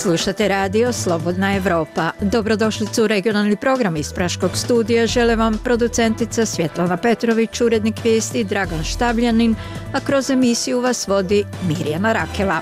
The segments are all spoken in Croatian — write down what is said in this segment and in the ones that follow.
Slušate radio Slobodna Evropa. Dobrodošlicu u regionalni program iz Praškog studija. Žele vam producentica Svjetlana Petrović, urednik vijesti Dragan Štabljanin, a kroz emisiju vas vodi Mirjana Rakela.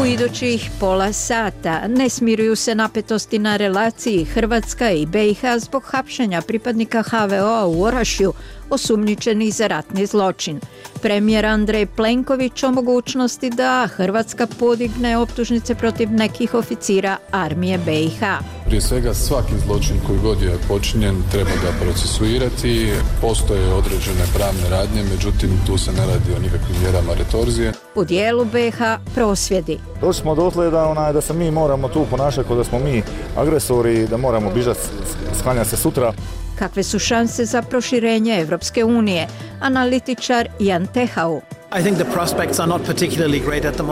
U idućih pola sata ne smiruju se napetosti na relaciji Hrvatska i BiH zbog hapšenja pripadnika HVO-a u Orašju, osumnjičenih za ratni zločin. Premijer Andrej Plenković o mogućnosti da Hrvatska podigne optužnice protiv nekih oficira armije BiH. Prije svega svaki zločin koji god je počinjen treba ga procesuirati. Postoje određene pravne radnje, međutim tu se ne radi o nikakvim mjerama retorzije. U dijelu BiH prosvjedi. Došli smo dotle da se mi moramo tu ponašati kao da smo mi agresori, da moramo bižati, sklanjati se sutra. Kakve su šanse za proširenje Evropske unije? Analitičar Jan Tehau.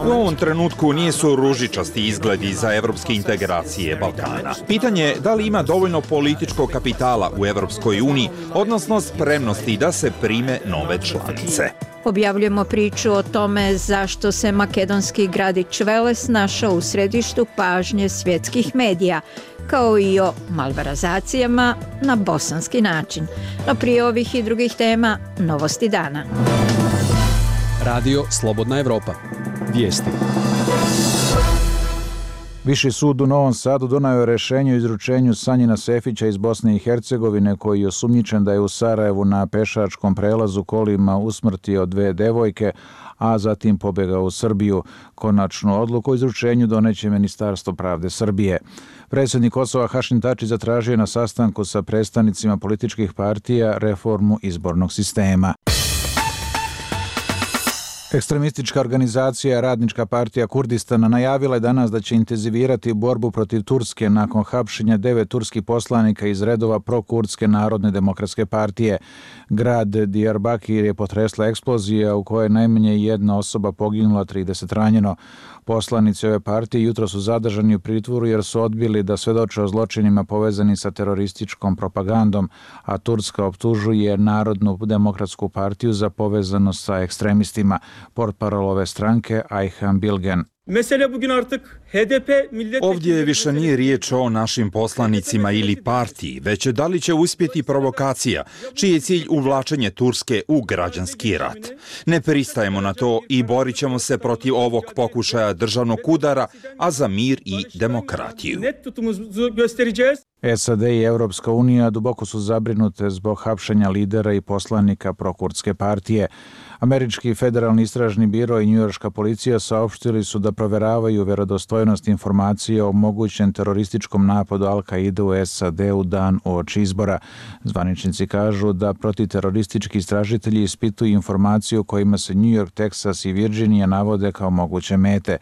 U ovom trenutku nisu ružičasti izgledi za evropske integracije Balkana. Pitanje je da li ima dovoljno političkog kapitala u Evropskoj uniji, odnosno spremnosti da se prime nove članice. Objavljujemo priču o tome zašto se makedonski gradić Veles našao u središtu pažnje svjetskih medija, kao i o malverzacijama na bosanski način. No prije ovih i drugih tema, novosti dana. Radio Slobodna Evropa. Vijesti. Viši sud u Novom Sadu donio je rješenje o izručenju Sanjina Sefića iz Bosne i Hercegovine, koji je osumnjičen da je u Sarajevu na pešačkom prelazu kolima usmrtio 2 devojke, a zatim pobjegao u Srbiju. Konačnu odluku o izručenju doneće Ministarstvo pravde Srbije. Predsjednik Kosova Hašim Tači zatražio na sastanku sa predstavnicima političkih partija reformu izbornog sistema. Ekstremistička organizacija Radnička partija Kurdistana najavila je danas da će intenzivirati borbu protiv Turske nakon hapšenja 9 turskih poslanika iz redova prokurdske Narodne demokratske partije. Grad Diyarbakir je potresla eksplozija u kojoj je najmanje 1 osoba poginula, 30 ranjeno. Poslanici ove partije jutro su zadržani u pritvoru jer su odbili da svedoče o zločinima povezani sa terorističkom propagandom, a Turska optužuje Narodnu demokratsku partiju za povezanost sa ekstremistima. Portparol ove stranke Ayhan Bilgen. Ovdje više nije riječ o našim poslanicima ili partiji, već da li će uspjeti provokacija, čiji je cilj uvlačenje Turske u građanski rat. Ne pristajemo na to i borit ćemo se protiv ovog pokušaja državnog udara, a za mir i demokratiju. SAD i Europska unija duboko su zabrinute zbog hapšenja lidera i poslanika prokurdske partije. Američki federalni istražni biro i njujorška policija saopštili su da proveravaju vjerodostojnost informacije o mogućem terorističkom napadu Al-Kaide u SAD u dan uoči izbora. Zvaničnici kažu da protiteroristički istražitelji ispituju informaciju kojima se New York, Texas i Virginia navode kao moguće mete.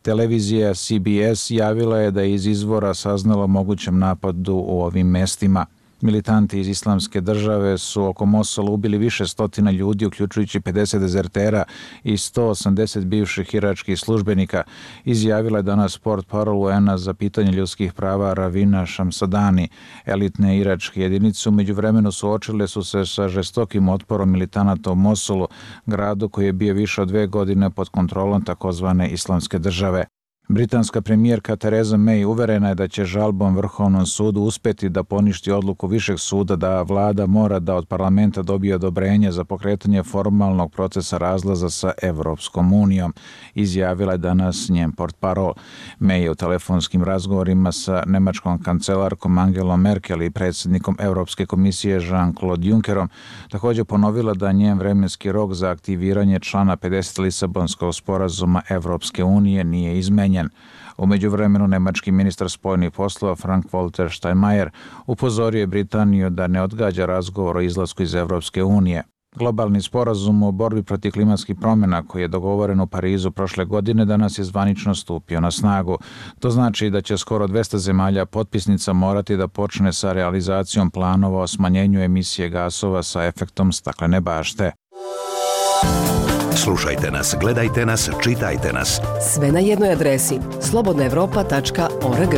Televizija CBS javila je da je iz izvora saznala o mogućem napadu u ovim mestima. Militanti iz Islamske države su oko Mosula ubili više stotina ljudi, uključujući 50 dezertera i 180 bivših iračkih službenika, izjavila je danas portparol UN-a za pitanje ljudskih prava Ravina Šamsadani. Elitne iračke jedinice u međuvremenu suočile su se sa žestokim otporom militanata u Mosulu, gradu koji je bio više od 2 godine pod kontrolom takozvane Islamske države. Britanska premijerka Theresa May uverena je da će žalbom Vrhovnom sudu uspjeti da poništi odluku Višeg suda da vlada mora da od parlamenta dobije odobrenje za pokretanje formalnog procesa razlaza sa Evropskom unijom, izjavila je danas njen portparol. May je u telefonskim razgovorima sa nemačkom kancelarkom Angelom Merkel i predsjednikom Europske komisije Jean-Claude Junckerom također ponovila da njen vremenski rok za aktiviranje člana 50 Lisabonskog sporazuma Evropske unije nije izmenjen. U međuvremenu nemački ministar spojenih poslova Frank-Walter Steinmeier upozorio je Britaniju da ne odgađa razgovor o izlasku iz Evropske unije. Globalni sporazum o borbi protiv klimatskih promjena koji je dogovoren u Parizu prošle godine danas je zvanično stupio na snagu. To znači da će skoro 200 zemalja potpisnica morati da počne sa realizacijom planova o smanjenju emisije gasova sa efektom staklene bašte. Slušajte nas, gledajte nas, čitajte nas. Sve na jednoj adresi slobodnaevropa.org.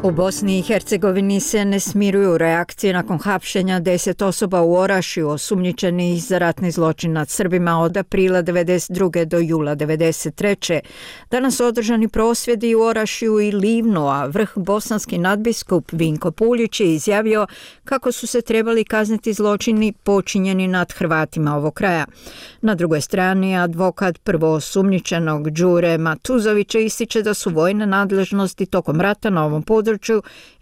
U Bosni i Hercegovini se ne smiruju reakcije nakon hapšenja 10 osoba u Orašju osumnjičenih za ratni zločin nad Srbima od aprila 1992. do jula 1993. Danas su održani prosvjedi u Orašju i Livnu, a vrh bosanski nadbiskup Vinko Puljić je izjavio kako su se trebali kazniti zločini počinjeni nad Hrvatima ovog kraja. Na drugoj strani advokat prvoosumnjičenog Đure Matuzovića ističe da su vojne nadležnosti tokom rata na ovom području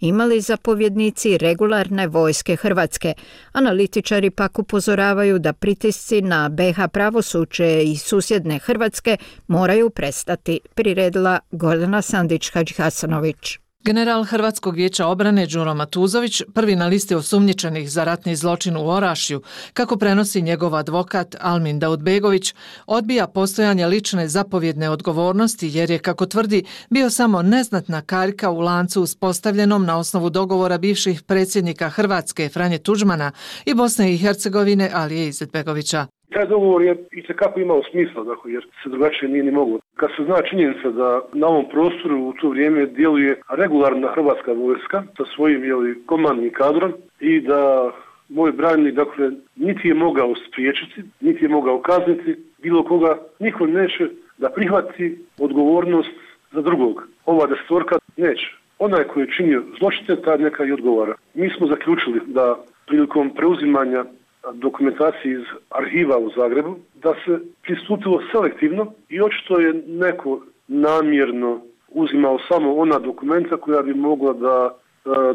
imali zapovjednici regularne vojske Hrvatske. Analitičari pak upozoravaju da pritisci na BiH pravosuđe i susjedne Hrvatske moraju prestati, priredila Gordana Sandić-Hadžihasanović. General Hrvatskog vijeća obrane Đuro Matuzović, prvi na listi osumnjičenih za ratni zločin u Orašju, kako prenosi njegov advokat Almin Daudbegović, odbija postojanje lične zapovjedne odgovornosti jer je, kako tvrdi, bio samo neznatna karika u lancu uspostavljenom na osnovu dogovora bivših predsjednika Hrvatske Franje Tuđmana i Bosne i Hercegovine Alije Izetbegovića. Taj dogovor je itekako imao smisla, dakle, jer se drugačije nije ni moglo. Kad se zna činjenica da na ovom prostoru u to vrijeme djeluje regularna hrvatska vojska sa svojim komandnim kadrom i da moj branjenik, dakle, niti je mogao spriječiti, niti je mogao kazniti bilo koga, niko neće da prihvati odgovornost za drugog. Ova desetorka neće. Onaj koji je činio zločine, taj neka i odgovara. Mi smo zaključili da prilikom preuzimanja dokumentacije iz arhiva u Zagrebu, da se pristupilo selektivno i očito je neko namjerno uzimao samo ona dokumenta koja bi mogla da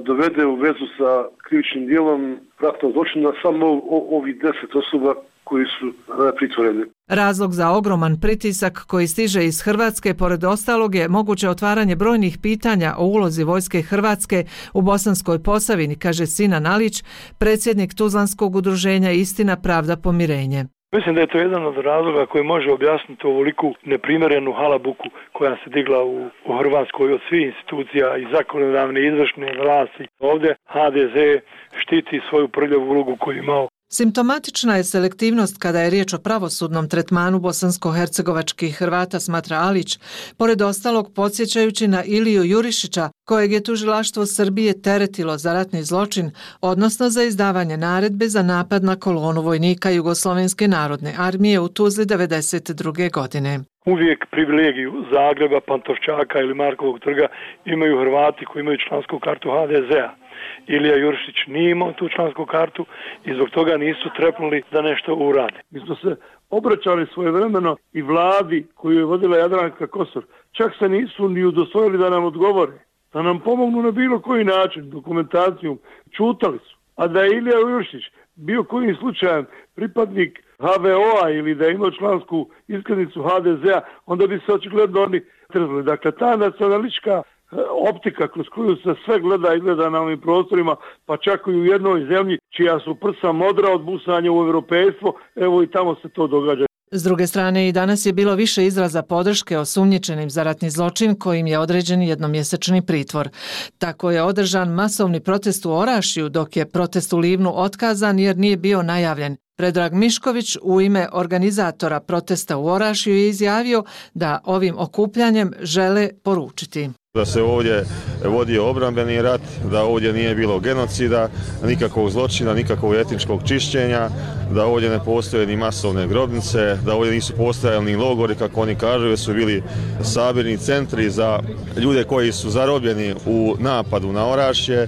dovede u vezu sa krivičnim djelom ratnog zločina samo ovih 10 osoba koji su pritvoreni. Razlog za ogroman pritisak koji stiže iz Hrvatske, pored ostalog, je moguće otvaranje brojnih pitanja o ulozi vojske Hrvatske u Bosanskoj Posavini, kaže Sinan Alić, predsjednik Tuzlanskog udruženja Istina, pravda, pomirenje. Mislim da je to jedan od razloga koji može objasniti ovoliku neprimjerenu halabuku koja se digla u Hrvatskoj od svih institucija i zakonodavne i izvršne vlasti. Ovdje HDZ štiti svoju prljavu ulogu koju imao. Simptomatična je selektivnost kada je riječ o pravosudnom tretmanu bosansko-hercegovačkih Hrvata, smatra Alić, pored ostalog podsjećajući na Iliju Jurišića, kojeg je tužilaštvo Srbije teretilo za ratni zločin, odnosno za izdavanje naredbe za napad na kolonu vojnika Jugoslovenske narodne armije u Tuzli 1992. godine. Uvijek privilegiju Zagreba, Pantovčaka ili Markovog trga imaju Hrvati koji imaju člansku kartu HDZ-a. Ilija Jurišić nije imao tu člansku kartu i zbog toga nisu trepnuli da nešto urade. Mi smo se obraćali svojevremeno i vladi koju je vodila Jadranka Kosor. Čak se nisu ni udostojili da nam odgovore, da nam pomognu na bilo koji način, dokumentacijom. Čutali su. A da je Ilija Jurišić bio kojim slučajem pripadnik HVO-a ili da je imao člansku iskaznicu HDZ-a, onda bi se očigledno oni trzali. Dakle, ta nacionalistička optika kroz koju se sve gleda i gleda na ovim prostorima, pa čak i u jednoj zemlji čija su prsa modra od busanja u europejstvo, evo i tamo se to događa. S druge strane, i danas je bilo više izraza podrške osumnjičenim za ratni zločin kojim je određen jednomjesečni pritvor. Tako je održan masovni protest u Orašju, dok je protest u Livnu otkazan jer nije bio najavljen. Predrag Mišković u ime organizatora protesta u Orašju je izjavio da ovim okupljanjem žele poručiti da se ovdje vodio obrambeni rat, da ovdje nije bilo genocida, nikakvog zločina, nikakvog etničkog čišćenja, da ovdje ne postoje ni masovne grobnice, da ovdje nisu postojali ni logori, kako oni kažu, jer su bili sabirni centri za ljude koji su zarobljeni u napadu na Orašje,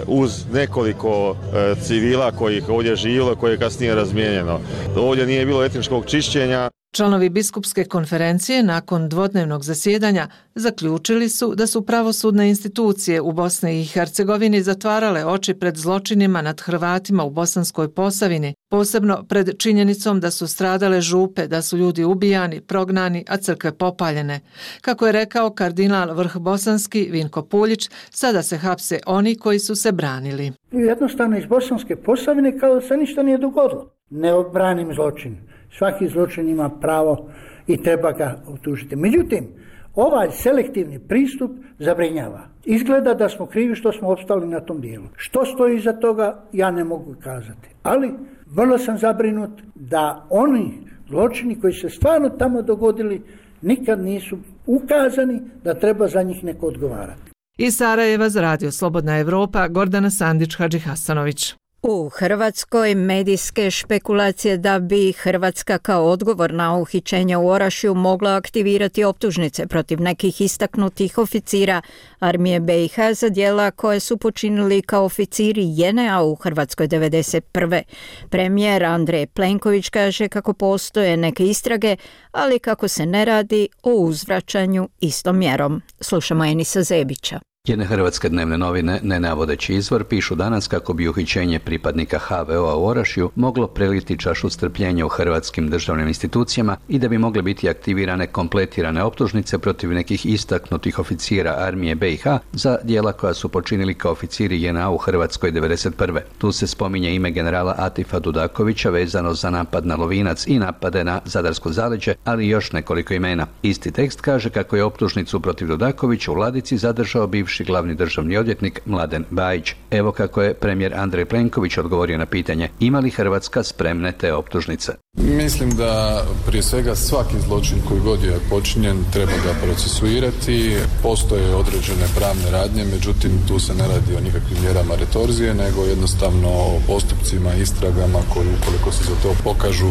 uz nekoliko civila koji ih ovdje živjelo, koje je kasnije razmijenjeno. Ovdje nije bilo etničkog čišćenja. Članovi biskupske konferencije nakon dvodnevnog zasjedanja zaključili su da su pravosudne institucije u Bosni i Hercegovini zatvarale oči pred zločinima nad Hrvatima u Bosanskoj Posavini, posebno pred činjenicom da su stradale župe, da su ljudi ubijani, prognani, a crkve popaljene. Kako je rekao kardinal vrh bosanski Vinko Puljić, sada se hapse oni koji su se branili. Jednostavno iz Bosanske Posavine kao da se ništa nije dogodilo. Ne branim zločin. Svaki zločin ima pravo i treba ga optužiti. Međutim, ovaj selektivni pristup zabrinjava. Izgleda da smo krivi što smo opstali na tom dijelu. Što stoji iza toga, ja ne mogu kazati. Ali vrlo sam zabrinut da oni zločini koji se stvarno tamo dogodili nikad nisu ukazani da treba za njih neko odgovarati. Iz Sarajeva za Radio Slobodna Evropa, Gordana Sandić-Hadžihasanović. U Hrvatskoj medijske špekulacije da bi Hrvatska kao odgovor na uhićenje u Orašju mogla aktivirati optužnice protiv nekih istaknutih oficira armije BiH za djela koje su počinili kao oficiri JNA u Hrvatskoj 1991. Premijer Andrej Plenković kaže kako postoje neke istrage, ali kako se ne radi o uzvraćanju istom mjerom. Slušamo Enisa Zebića. Jedne hrvatske dnevne novine, ne navodeći izvor, pišu danas kako bi uhićenje pripadnika HVO-a u Orašju moglo preliti čašu strpljenja u hrvatskim državnim institucijama i da bi mogle biti aktivirane kompletirane optužnice protiv nekih istaknutih oficira armije BiH za djela koja su počinili kao oficiri JNA u Hrvatskoj 1991. Tu se spominje ime generala Atifa Dudakovića vezano za napad na Lovinac i napade na Zadarsko zaleđe, ali još nekoliko imena. Isti tekst kaže kako je optužnicu protiv Dudakovića u ladici zadržao bivši glavni državni odvjetnik Mladen Bajić. Evo kako je premijer Andrej Plenković odgovorio na pitanje ima li Hrvatska spremne te optužnice. Mislim da prije svega svaki zločin koji god je počinjen treba ga procesuirati. Postoje određene pravne radnje, međutim tu se ne radi o nikakvim mjerama retorzije, nego jednostavno o postupcima, istragama koji ukoliko se za to pokažu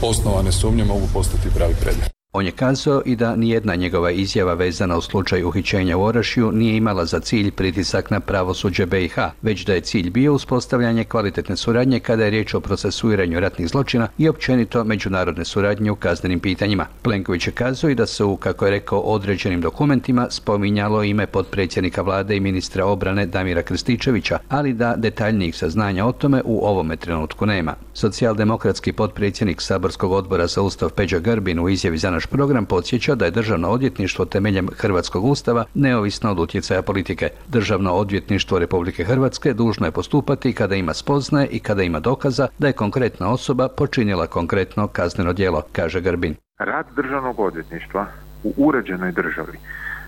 osnovane sumnje mogu postati pravi predmet. On je kazao i da nijedna njegova izjava vezana u slučaju uhićenja u Orašju nije imala za cilj pritisak na pravosuđe BiH, već da je cilj bio uspostavljanje kvalitetne suradnje kada je riječ o procesuiranju ratnih zločina i općenito međunarodne suradnje u kaznenim pitanjima. Plenković je kazao i da se u, kako je rekao, određenim dokumentima spominjalo ime potpredsjednika vlade i ministra obrane Damira Krstičevića, ali da detaljnijih saznanja o tome u ovome trenutku nema. Socijaldemokratski potpredsjednik Saborskog odbora za Ustav Peđa Grbin u izjavi za naš program podsjeća da je Državno odvjetništvo temeljem Hrvatskog ustava neovisno od utjecaja politike. Državno odvjetništvo Republike Hrvatske dužno je postupati kada ima spoznaje i kada ima dokaza da je konkretna osoba počinila konkretno kazneno djelo, kaže Grbin. Rad Državnog odvjetništva u uređenoj državi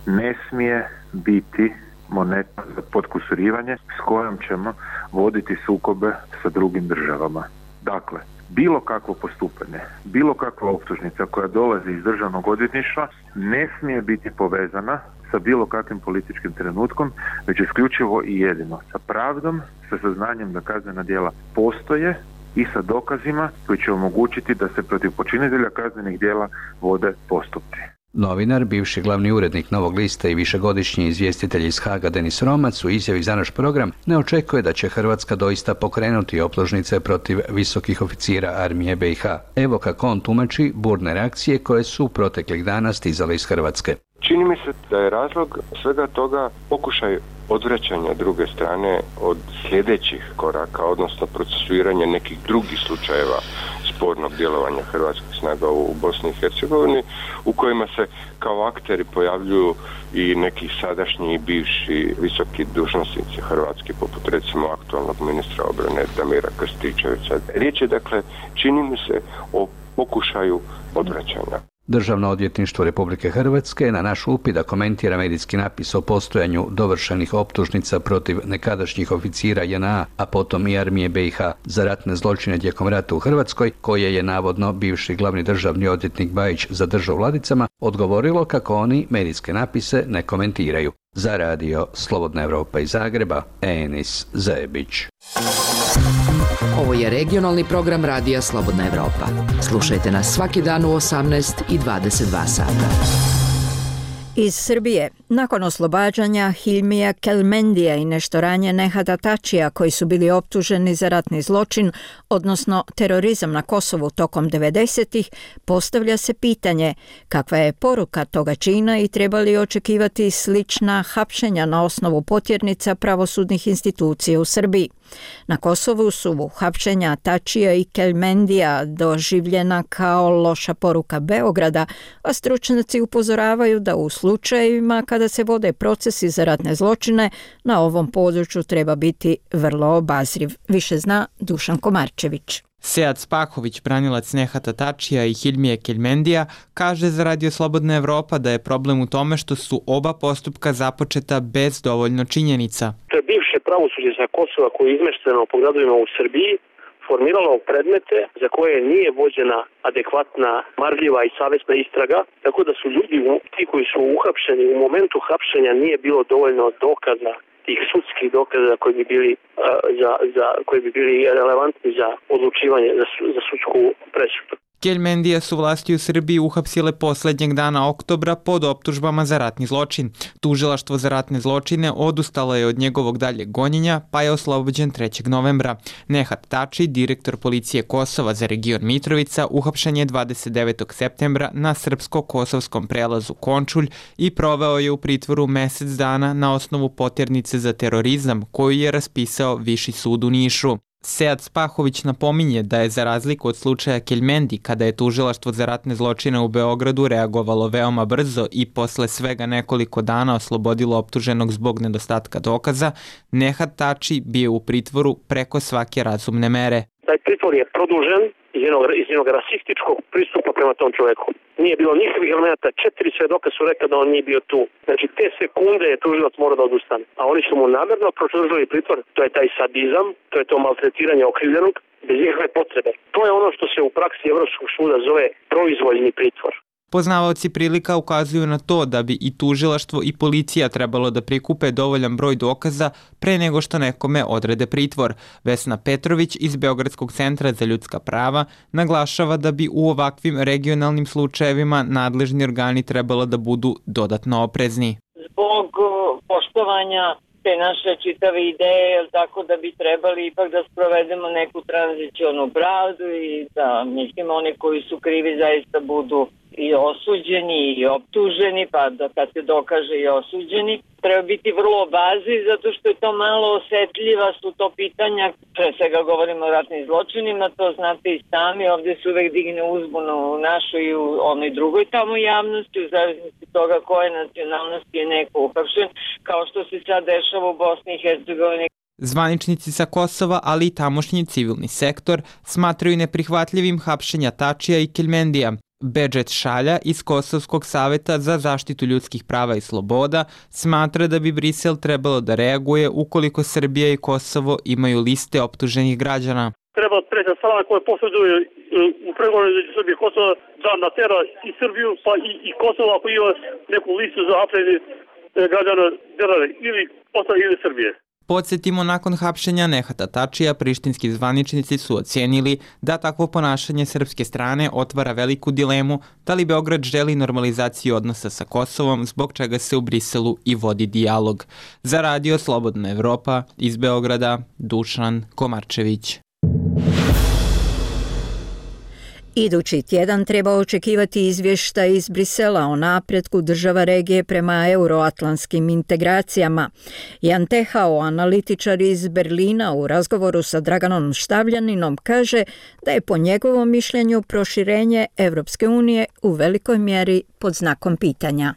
ne smije biti moneta za potkusurivanje s kojom ćemo voditi sukobe sa drugim državama. Dakle, bilo kakvo postupanje, bilo kakva optužnica koja dolazi iz Državnog odvjetništva ne smije biti povezana sa bilo kakvim političkim trenutkom, već isključivo i jedino sa pravdom, sa saznanjem da kaznena djela postoje i sa dokazima koji će omogućiti da se protiv počinitelja kaznenih djela vode postupci. Novinar, bivši glavni urednik Novog lista i višegodišnji izvjestitelj iz Haga Denis Romac u izjavi za naš program ne očekuje da će Hrvatska doista pokrenuti optužnice protiv visokih oficira armije BiH. Evo kako on tumači burne reakcije koje su proteklih dana stizale iz Hrvatske. Čini mi se da je razlog svega toga pokušaj odvraćanja druge strane od sljedećih koraka, odnosno procesuiranja nekih drugih slučajeva spornog djelovanja hrvatskih snaga u Bosni i Hercegovini, u kojima se kao akteri pojavljuju i neki sadašnji i bivši visoki dužnosnici hrvatski, poput recimo aktualnog ministra obrane Damira Krstičevića. Riječ je dakle, čini mi se, o pokušaju odvraćanja. Državno odvjetništvo Republike Hrvatske na naš upit da komentira medijski napis o postojanju dovršenih optužnica protiv nekadašnjih oficira JNA, a potom i armije BiH za ratne zločine tijekom rata u Hrvatskoj, koje je navodno bivši glavni državni odvjetnik Bajić zadržao u ladicama, odgovorilo kako oni medijske napise ne komentiraju. Za Radio Slobodna Evropa iz Zagreba, Enis Zebić. Ovo je regionalni program Radija Slobodna Evropa. Slušajte nas svaki dan u 18 i 22 sata. Iz Srbije, nakon oslobađanja Hilmija Kelmendija i nešto ranije Nehata Tačija, koji su bili optuženi za ratni zločin, odnosno terorizam na Kosovu tokom 90-ih, postavlja se pitanje kakva je poruka toga čina i treba li očekivati slična hapšenja na osnovu potjernica pravosudnih institucija u Srbiji. Na Kosovu su hapšenja Tačija i Kelmendija doživljena kao loša poruka Beograda, a stručnjaci upozoravaju da u slučajevima kada se vode procesi za ratne zločine, na ovom području treba biti vrlo obazriv. Više zna Dušan Komarčević. Sead Spahović, branilac Nehata Tačija i Hilmije Kelmendija, kaže za Radio Slobodna Evropa da je problem u tome što su oba postupka započeta bez dovoljno činjenica. To je bivše pravosuđe sa Kosova koje je izmešteno po gradovima u Srbiji, formiralo predmete za koje nije vođena adekvatna, marljiva i savjesna istraga, tako da su ljudi, ti koji su uhapšeni, u momentu hapšenja nije bilo dovoljno dokaza, tih sudskih dokaza koji bi bili relevantni za odlučivanje, za sudsku presudu. Keljmendija su vlasti u Srbiji uhapsile posljednjeg dana oktobra pod optužbama za ratni zločin. Tužilaštvo za ratne zločine odustalo je od njegovog daljeg gonjenja, pa je oslobođen 3. novembra. Nehat Tači, direktor policije Kosova za region Mitrovica, uhapšen je 29. septembra na srpsko-kosovskom prelazu Končulj i proveo je u pritvoru mjesec dana na osnovu poternice za terorizam koju je raspisao Viši sud u Nišu. Sead Spahović napominje da je za razliku od slučaja Keljmendi, kada je tužilaštvo za ratne zločine u Beogradu reagovalo veoma brzo i posle svega nekoliko dana oslobodilo optuženog zbog nedostatka dokaza, Nehat Tači bio u pritvoru preko svake razumne mere. Taj pritvor je produžen iz jednog rasističkog pristupa prema tom čovjeku. Nije bilo nikakvih elementa, 4 svedoka su rekli da on nije bio tu. Znači te sekunde je tužilac morao da odustane. A oni su mu namjerno produžili pritvor, to je taj sadizam, to je to maltretiranje okrivljenog, bez ikakve potrebe. To je ono što se u praksi Evropskog suda zove proizvoljni pritvor. Poznavaoci prilika ukazuju na to da bi i tužilaštvo i policija trebalo da prikupe dovoljan broj dokaza pre nego što nekome odrede pritvor. Vesna Petrović iz Beogradskog centra za ljudska prava naglašava da bi u ovakvim regionalnim slučajevima nadležni organi trebalo da budu dodatno oprezni. Zbog poštovanja te naše čitave ideje, tako da bi trebali ipak da sprovedemo neku tranzicionu pravdu i da, mislim, oni koji su krivi zaista budu i osuđeni i optuženi, pa da kad se dokaže i osuđeni. Treba biti vrlo obazni zato što je to malo osetljiva, su to pitanja, pre svega govorimo o ratnim zločinima, to znate i sami, ovdje se uvek digne uzbunu u našoj i u onoj drugoj tamo javnosti, u zavisnosti toga koje nacionalnosti je neko uhapšen, kao što se sad dešava u Bosni i Hercegovini. Zvaničnici sa Kosova, ali i tamošnji civilni sektor, smatraju neprihvatljivim hapšenja Tačija i Keljmendija. Bedžet Šalja iz Kosovskog saveta za zaštitu ljudskih prava i sloboda smatra da bi Brisel trebalo da reaguje ukoliko Srbija i Kosovo imaju liste optuženih građana. Treba treća strana koja posreduje u pregovoru između Srbije i Kosova da natera i Srbiju pa i Kosovo ako ima neku listu za hapšenje građana države ili Kosova ili Srbije. Podsjetimo, nakon hapšenja Nehata Tačija, prištinski zvaničnici su ocijenili da takvo ponašanje srpske strane otvara veliku dilemu da li Beograd želi normalizaciju odnosa sa Kosovom, zbog čega se u Briselu i vodi dijalog. Za Radio Slobodna Evropa, iz Beograda, Dušan Komarčević. Idući tjedan treba očekivati izvještaj iz Brisela o napretku država regije prema euroatlantskim integracijama. Jan Tehao, analitičar iz Berlina, u razgovoru sa Draganom Štavljaninom kaže da je po njegovom mišljenju proširenje Evropske unije u velikoj mjeri pod znakom pitanja.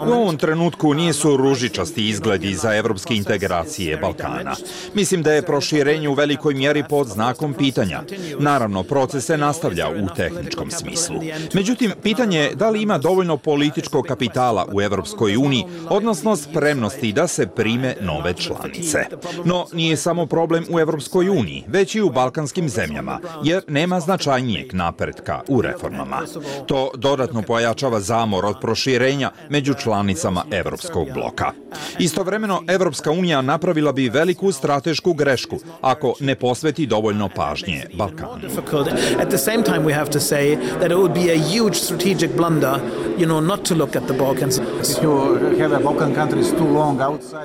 U ovom trenutku nisu ružičasti izgledi za evropske integracije Balkana. Mislim da je proširenje u velikoj mjeri pod znakom pitanja. Naravno, proces se nastavlja u tehničkom smislu. Međutim, pitanje je da li ima dovoljno političkog kapitala u Evropskoj uniji, odnosno spremnosti da se prime nove članice. No, nije samo problem u Evropskoj uniji, već i u balkanskim zemljama, jer nema značajnijeg napretka u reformama. To dodatno pojačava zamor od proširenja među članicama Evropskog bloka. Istovremeno, Evropska unija napravila bi veliku stratešku grešku ako ne posveti dovoljno pažnje Balkanu.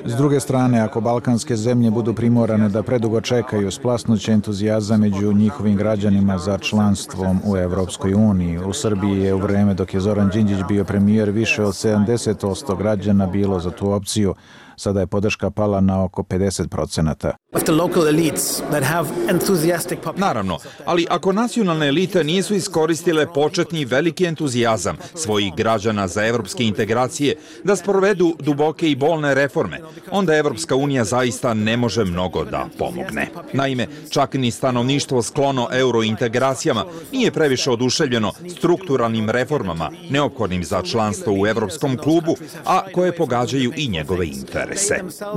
S druge strane, ako balkanske zemlje budu primorane da predugo čekaju, splasnuće entuzijazam među njihovim građanima za članstvom u Evropskoj uniji. U Srbiji je u vreme dok je Zoran Đinđić bio premijer, više od 70% građana bilo za tu opciju. Sada je podrška pala na oko 50%. Naravno, ali ako nacionalne elite nisu iskoristile početni veliki entuzijazam svojih građana za evropske integracije da sprovedu duboke i bolne reforme, onda Evropska unija zaista ne može mnogo da pomogne. Naime, čak ni stanovništvo sklono eurointegracijama nije previše oduševljeno strukturalnim reformama neophodnim za članstvo u Evropskom klubu, a koje pogađaju i njegove interese.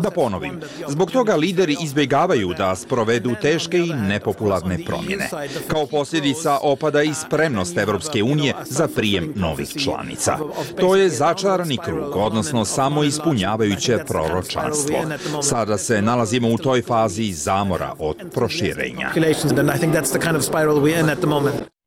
Da ponovim, zbog toga lideri izbjegavaju izbjegavaju da sprovedu teške i nepopularne promjene. Kao posljedica opada i spremnost Evropske unije za prijem novih članica. To je začarani krug, odnosno samo ispunjavajuće proročanstvo. Sada se nalazimo u toj fazi zamora od proširenja.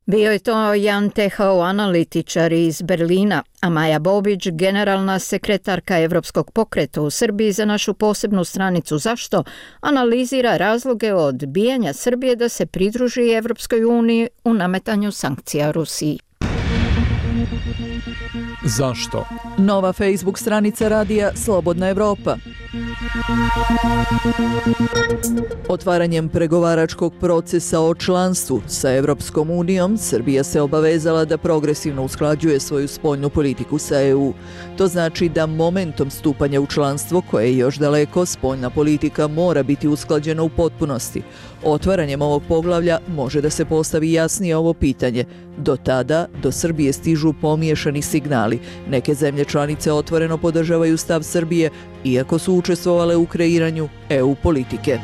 Bio je to Jan Tehao, analitičar iz Berlina, a Maja Bobić, generalna sekretarka Evropskog pokreta u Srbiji, za našu posebnu stranicu Zašto analizira razloge odbijanja Srbije da se pridruži Evropskoj uniji u nametanju sankcija Rusiji. Zašto? Nova Facebook stranica radija Slobodna Evropa. Otvaranjem pregovaračkog procesa o članstvu sa Evropskom unijom, Srbija se obavezala da progresivno usklađuje svoju spoljnu politiku sa EU. To znači da momentom stupanja u članstvo, koje je još daleko, spoljna politika mora biti usklađena u potpunosti. Otvaranjem ovog poglavlja može da se postavi jasnije ovo pitanje. Do tada, do Srbije stižu pomiješani signali. Neke zemlje članice otvoreno podržavaju stav Srbije, iako su učestvovale u kreiranju EU politike.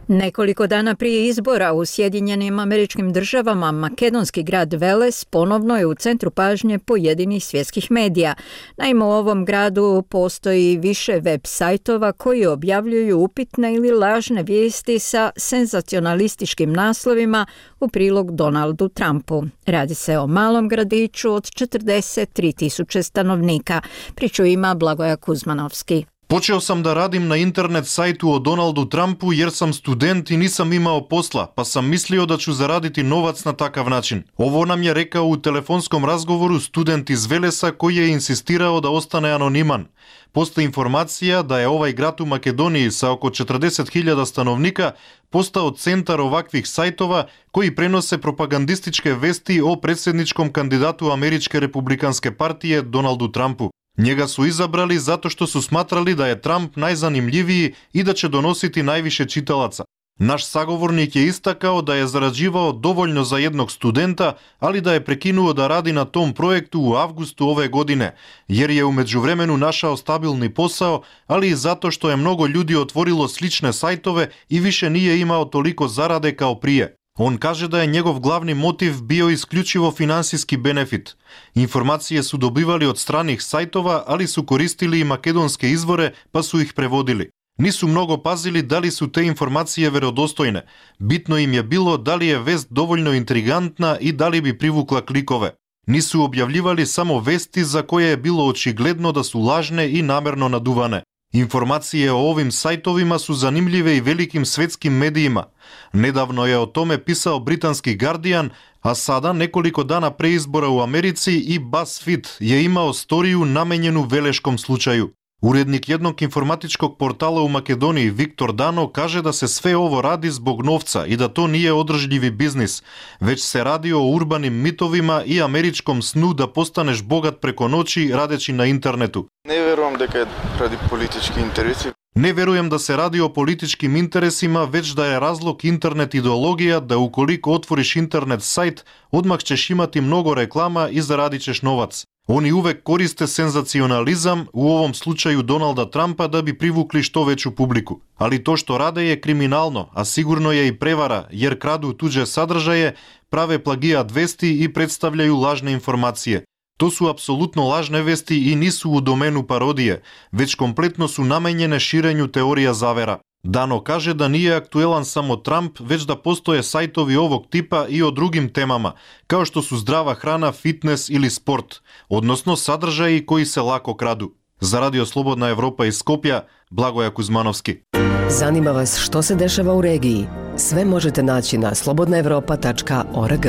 Nekoliko dana prije izbora u Sjedinjenim Američkim Državama, makedonski grad Veles ponovno je u centru pažnje pojedinih svjetskih medija. Naime, u ovom gradu postoji više web sajtova koji objavljuju upitne ili lažne vijesti sa senzacionalističkim naslovima u prilog Donaldu Trumpu. Radi se o malom gradiću od 43.000 stanovnika. Priču ima Blagoja Kuzmanovski. Počeo sam da radim na internet sajtu o Donaldu Trumpu jer sam student i nisam imao posla, pa sam mislio da ću zaraditi novac na takav način. Ovo nam je rekao u telefonskom razgovoru student iz Velesa koji je insistirao da ostane anoniman. Postoji informacija da je ovaj grad u Makedoniji sa oko 40.000 stanovnika postao centar ovakvih sajtova koji prenose propagandističke vesti o predsjedničkom kandidatu Američke republikanske partije Donaldu Trumpu. Njega su izabrali zato što su smatrali da je Trump najzanimljiviji i da će donositi najviše čitalaca. Naš sagovornik je istakao da je zarađivao dovoljno za jednog studenta, ali da je prekinuo da radi na tom projektu u avgustu ove godine, jer je u međuvremenu našao stabilni posao, ali i zato što je mnogo ljudi otvorilo slične sajtove i više nije imao toliko zarade kao prije. On kaže da je njegov glavni motiv bio isključivo finansijski benefit. Informacije su dobivali od stranih sajtova, ali su koristili i makedonske izvore pa su ih prevodili. Nisu mnogo pazili da li su te informacije verodostojne. Bitno im je bilo da li je vest dovoljno intrigantna i da li bi privukla klikove. Nisu objavljivali samo vesti za koje je bilo očigledno da su lažne i namerno naduvane. Informacije o ovim sajtovima su zanimljive i velikim svjetskim medijima. Nedavno je o tome pisao britanski Guardian, a sada, nekoliko dana pre izbora u Americi, i BuzzFeed je imao storiju namenjenu veleškom slučaju. Urednik jednog informatičkog portala u Makedoniji, Viktor Dano, kaže da se sve ovo radi zbog novca i da to nije održljivi biznis, već se radi o urbanim mitovima i američkom snu da postaneš bogat preko noći radeći na internetu. Ne verujem da je radi politički interesi. Ne verujem da se radi o političkim interesima, već da je razlog internet ideologija, da ukoliko otvoriš internet sajt, odmah ćeš imati mnogo reklama i zaradit ćeš novac. Oni uvek koriste senzacionalizam, u ovom slučaju Donalda Trumpa, da bi privukli što veću publiku. Ali to što rade je kriminalno, a sigurno je i prevara, jer kradu tuđe sadržaje, prave plagijat vesti i predstavljaju lažne informacije. To su apsolutno lažne vesti i nisu u domenu parodije, već kompletno su namenjene širenju teorija zavera. Dano kaže da nije aktuelan samo Trump, već da postoje sajtovi ovog tipa i o drugim temama, kao što su zdrava hrana, fitness ili sport, odnosno sadržaji koji se lako kradu. Za Radio Slobodna Evropa iz Skopja, Blagoja Kuzmanovski. Zanima vas što se dešava u regiji? Sve možete naći na slobodnaevropa.org.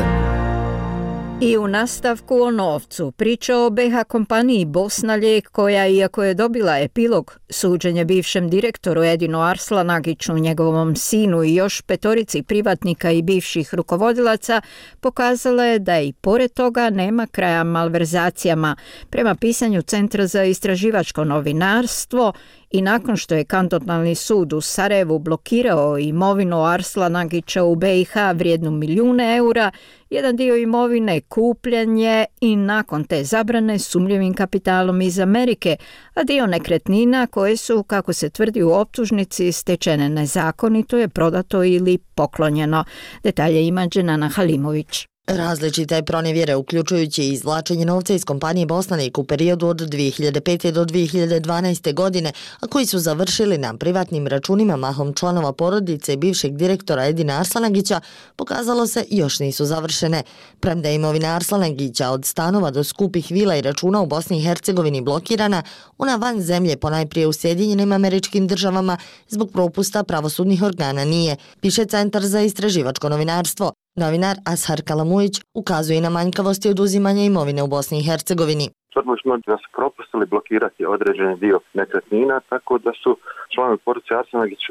I u nastavku o novcu, priča o BH kompaniji Bosna Lijek, koja, iako je dobila epilog, suđenje bivšem direktoru Edinu Arslanagiću, njegovom sinu i još 5 privatnika i bivših rukovodilaca, pokazala je da i pored toga nema kraja malverzacijama. Prema pisanju Centra za istraživačko novinarstvo, I nakon što je kantonalni sud u Sarajevu blokirao imovinu Arslanagića u BiH vrijednu milijune eura, jedan dio imovine kupljen je i nakon te zabrane sumnjivim kapitalom iz Amerike, a dio nekretnina koje su, kako se tvrdi u optužnici, stečene nezakonito je prodato ili poklonjeno. Detalje ima Dženana Halimović. Različite pronevjere, uključujući izvlačenje novca iz kompanije Bosnanik u periodu od 2005. do 2012. godine, a koji su završili na privatnim računima mahom članova porodice bivšeg direktora Edina Arslanagića, pokazalo se još nisu završene. Premda je imovina Arslanagića od stanova do skupih vila i računa u Bosni i Hercegovini blokirana, ona van zemlje, ponajprije u Sjedinjenim Američkim Državama, zbog propusta pravosudnih organa nije, piše Centar za istraživačko novinarstvo. Novinar Ashar Kalamujić ukazuje na manjkavosti oduzimanja imovine u Bosni i Hercegovini. Tvrdili smo da su propustili blokirati određeni dio nekretnina, tako da su članovi porodice Arslanagić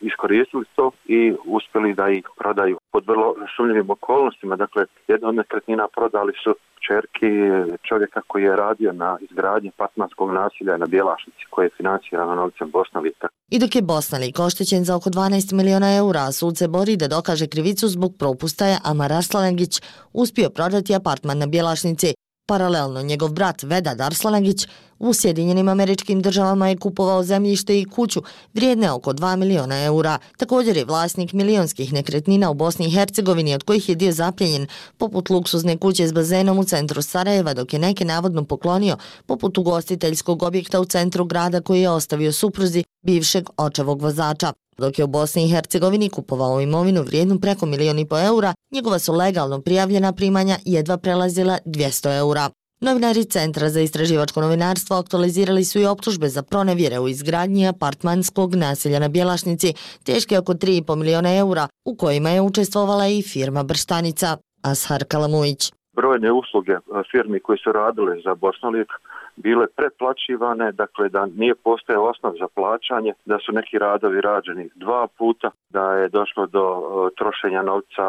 iskoristili to i uspjeli da ih prodaju pod vrlo sumnjivim okolnostima. Dakle, jedna od nekretnina prodali su kćerki čovjeka koji je radio na izgradnji apartmanskog naselja na Bjelašnici, koje je financirano novcem Bosnalika. I dok je Bosnalik oštećen za oko 12 miliona eura, sud se bori da dokaže krivicu zbog propusta je Amar Arslanagić uspio prodati apartman na Bjelašnici. Paralelno, njegov brat Vedad Arslanagić u Sjedinjenim Američkim Državama je kupovao zemljište i kuću vrijedne oko 2 miliona eura. Također je vlasnik milionskih nekretnina u Bosni i Hercegovini, od kojih je dio zapljenjen, poput luksuzne kuće s bazenom u centru Sarajeva, dok je neke navodno poklonio, poput ugostiteljskog objekta u centru grada koji je ostavio supruzi bivšeg očevog vozača. Dok je u Bosni i Hercegovini kupovao imovinu vrijednu preko 1,5 miliona eura, njegova su legalno prijavljena primanja jedva prelazila 200 eura. Novinari Centra za istraživačko novinarstvo aktualizirali su i optužbe za pronevjere u izgradnji apartmanskog naselja na Bjelašnici, teške oko 3,5 miliona eura, u kojima je učestvovala i firma Brštanica. Ashar Kalamujić. Brojne usluge firmi koji su radile za Bosnalik bile preplaćivane, dakle da nije postojao osnov za plaćanje, da su neki radovi rađeni 2 puta, da je došlo do trošenja novca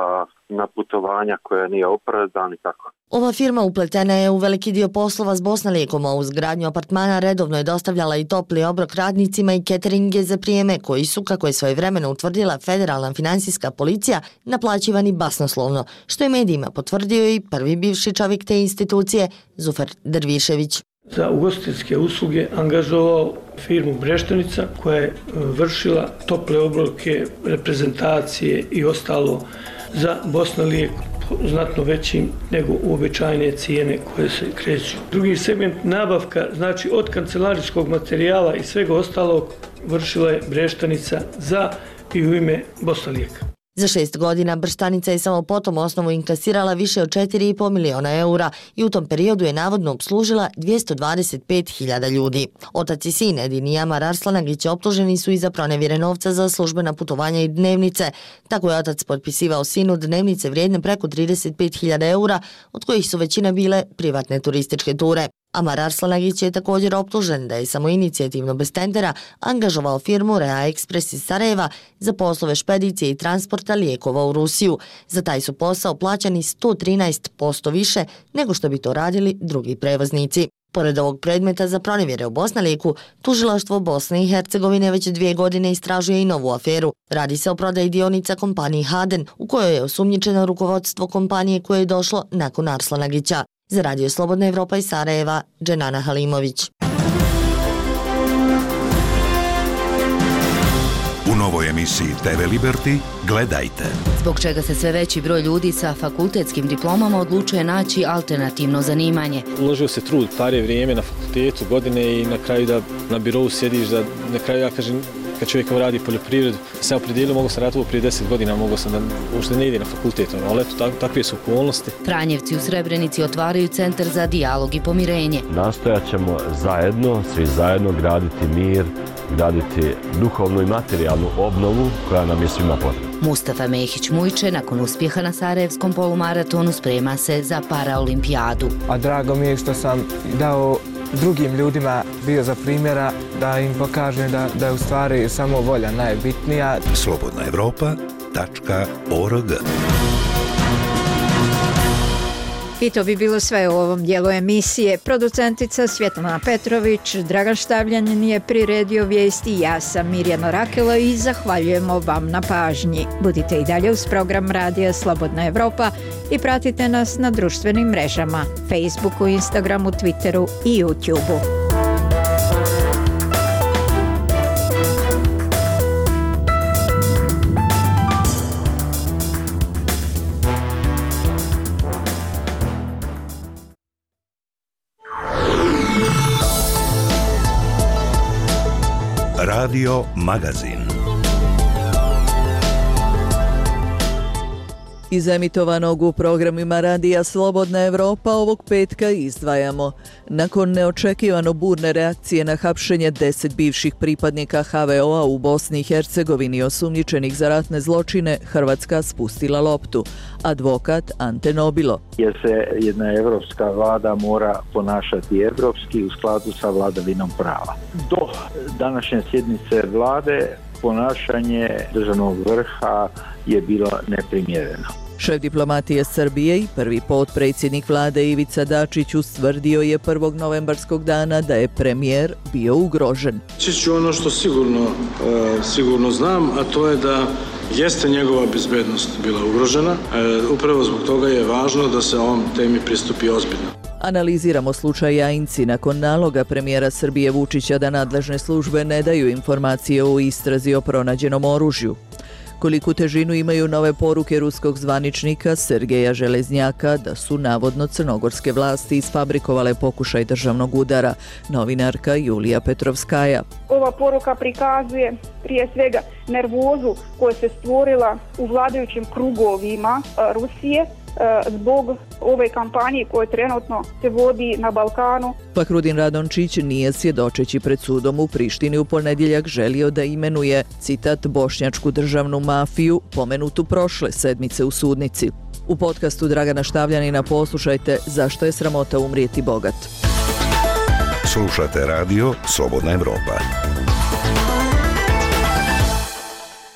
na putovanja koje nije opravdano i tako. Ova firma upletena je u veliki dio poslova s Bosnalikom, a uz gradnju apartmana redovno je dostavljala i topli obrok radnicima i cateringe za prijeme koji su, kako je svojevremeno utvrdila Federalna finansijska policija, naplaćivani basnoslovno, što je medijima potvrdio i prvi bivši čovjek te institucije, Zufer Dervišević. Za ugostiteljske usluge angažovao firmu Breštanica koja je vršila tople obroke, reprezentacije i ostalo za Bosnalijek znatno većim nego uobičajene cijene koje se kreću. Drugi segment nabavka, znači od kancelarijskog materijala i svega ostalog, vršila je Breštanica za i u ime Bosnalijeka. Za 6 godina Brštanica je samo po tom osnovu inkasirala više od 4,5 miliona eura i u tom periodu je navodno obslužila 225.000 ljudi. Otac i sin Edin i Amar Arslanagić optuženi su i za pronevjere novca za službena putovanja i dnevnice. Tako je otac potpisivao sinu dnevnice vrijedne preko 35.000 eura, od kojih su većina bile privatne turističke ture. Amar Arslanagić je također optužen da je samoinicijativno bez tendera angažovao firmu Rea Express iz Sarajeva za poslove špedicije i transporta lijekova u Rusiju. Za taj su posao plaćani 113% više nego što bi to radili drugi prevoznici. Pored ovog predmeta za pronevjere u Bosnaliku, tužilaštvo Bosne i Hercegovine već 2 godine istražuje i novu aferu. Radi se o prodaji dionica kompaniji Haden, u kojoj je osumnjičeno rukovodstvo kompanije koje je došlo nakon Arslanagića. Za Radio Slobodna Evropa iz Sarajeva, Dženana Halimović. U novoj emisiji TV Liberty gledajte. Zbog čega se sve veći broj ljudi sa fakultetskim diplomama odlučuje naći alternativno zanimanje. Uložio se trud, starije vrijeme na fakultetu, godine i na kraju da na birovu sjediš, da na kraju ja kažem kad čovjek radi poljoprivredu, sam opredijelio, mogu sam raditi prije 10 godina, mogu sam da uopšte ne ide na fakultet, ali eto, takve su okolnosti. Franjevci u Srebrenici otvaraju centar za dijalog i pomirenje. Nastojat ćemo zajedno, svi zajedno graditi mir, graditi duhovnu i materijalnu obnovu koja nam je svima potrebna. Mustafa Mehić Mujče nakon uspjeha na Sarajevskom polumaratonu sprema se za Paraolimpijadu. A drago mi je što sam dao drugim ljudima bio za primjera da im pokažem da je u stvari samo volja najbitnija. Slobodnaevropa.org I to bi bilo sve u ovom dijelu emisije. Producentica Svjetlana Petrović, Dragan Štavljanin je priredio vijesti, ja sam Mirjana Rakela i zahvaljujemo vam na pažnji. Budite i dalje uz program Radija Slobodna Evropa i pratite nas na društvenim mrežama, Facebooku, Instagramu, Twitteru i YouTubeu. Radio Magazin. Iz emitovanog u programima Radija Slobodna Evropa ovog petka izdvajamo. Nakon neočekivano burne reakcije na hapšenje 10 bivših pripadnika HVO-a u Bosni i Hercegovini osumnjičenih za ratne zločine, Hrvatska spustila loptu. Advokat Ante Nobilo. Jer se jedna evropska vlada mora ponašati evropski u skladu sa vladavinom prava. Do današnje sjednice vlade ponašanje državnog vrha je bilo neprimjereno. Šef diplomatije Srbije i prvi potpredsjednik vlade Ivica Dačić ustvrdio je 1. novembarskog dana da je premijer bio ugrožen. Ću ono što sigurno znam, a to je da jeste njegova bezbednost bila ugrožena. Upravo zbog toga je važno da se ovom temi pristupi ozbiljno. Analiziramo slučaj Jajinci nakon naloga premijera Srbije Vučića da nadležne službe ne daju informacije o istrazi o pronađenom oružju. Koliku težinu imaju nove poruke ruskog zvaničnika Sergeja Železnjaka da su navodno crnogorske vlasti isfabrikovale pokušaj državnog udara, novinarka Julija Petrovskaja. Ova poruka prikazuje prije svega nervozu koja se stvorila u vladajućim krugovima Rusije zbog ove kampanje koje trenutno se vodi na Balkanu. Fahrudin Radončić nije svjedočeći pred sudom u Prištini u ponedjeljak želio da imenuje, citat, bošnjačku državnu mafiju pomenutu prošle sedmice u sudnici. U podcastu Dragana Štavljanina poslušajte Zašto je sramota umrijeti bogat. Slušate radio Slobodna Evropa.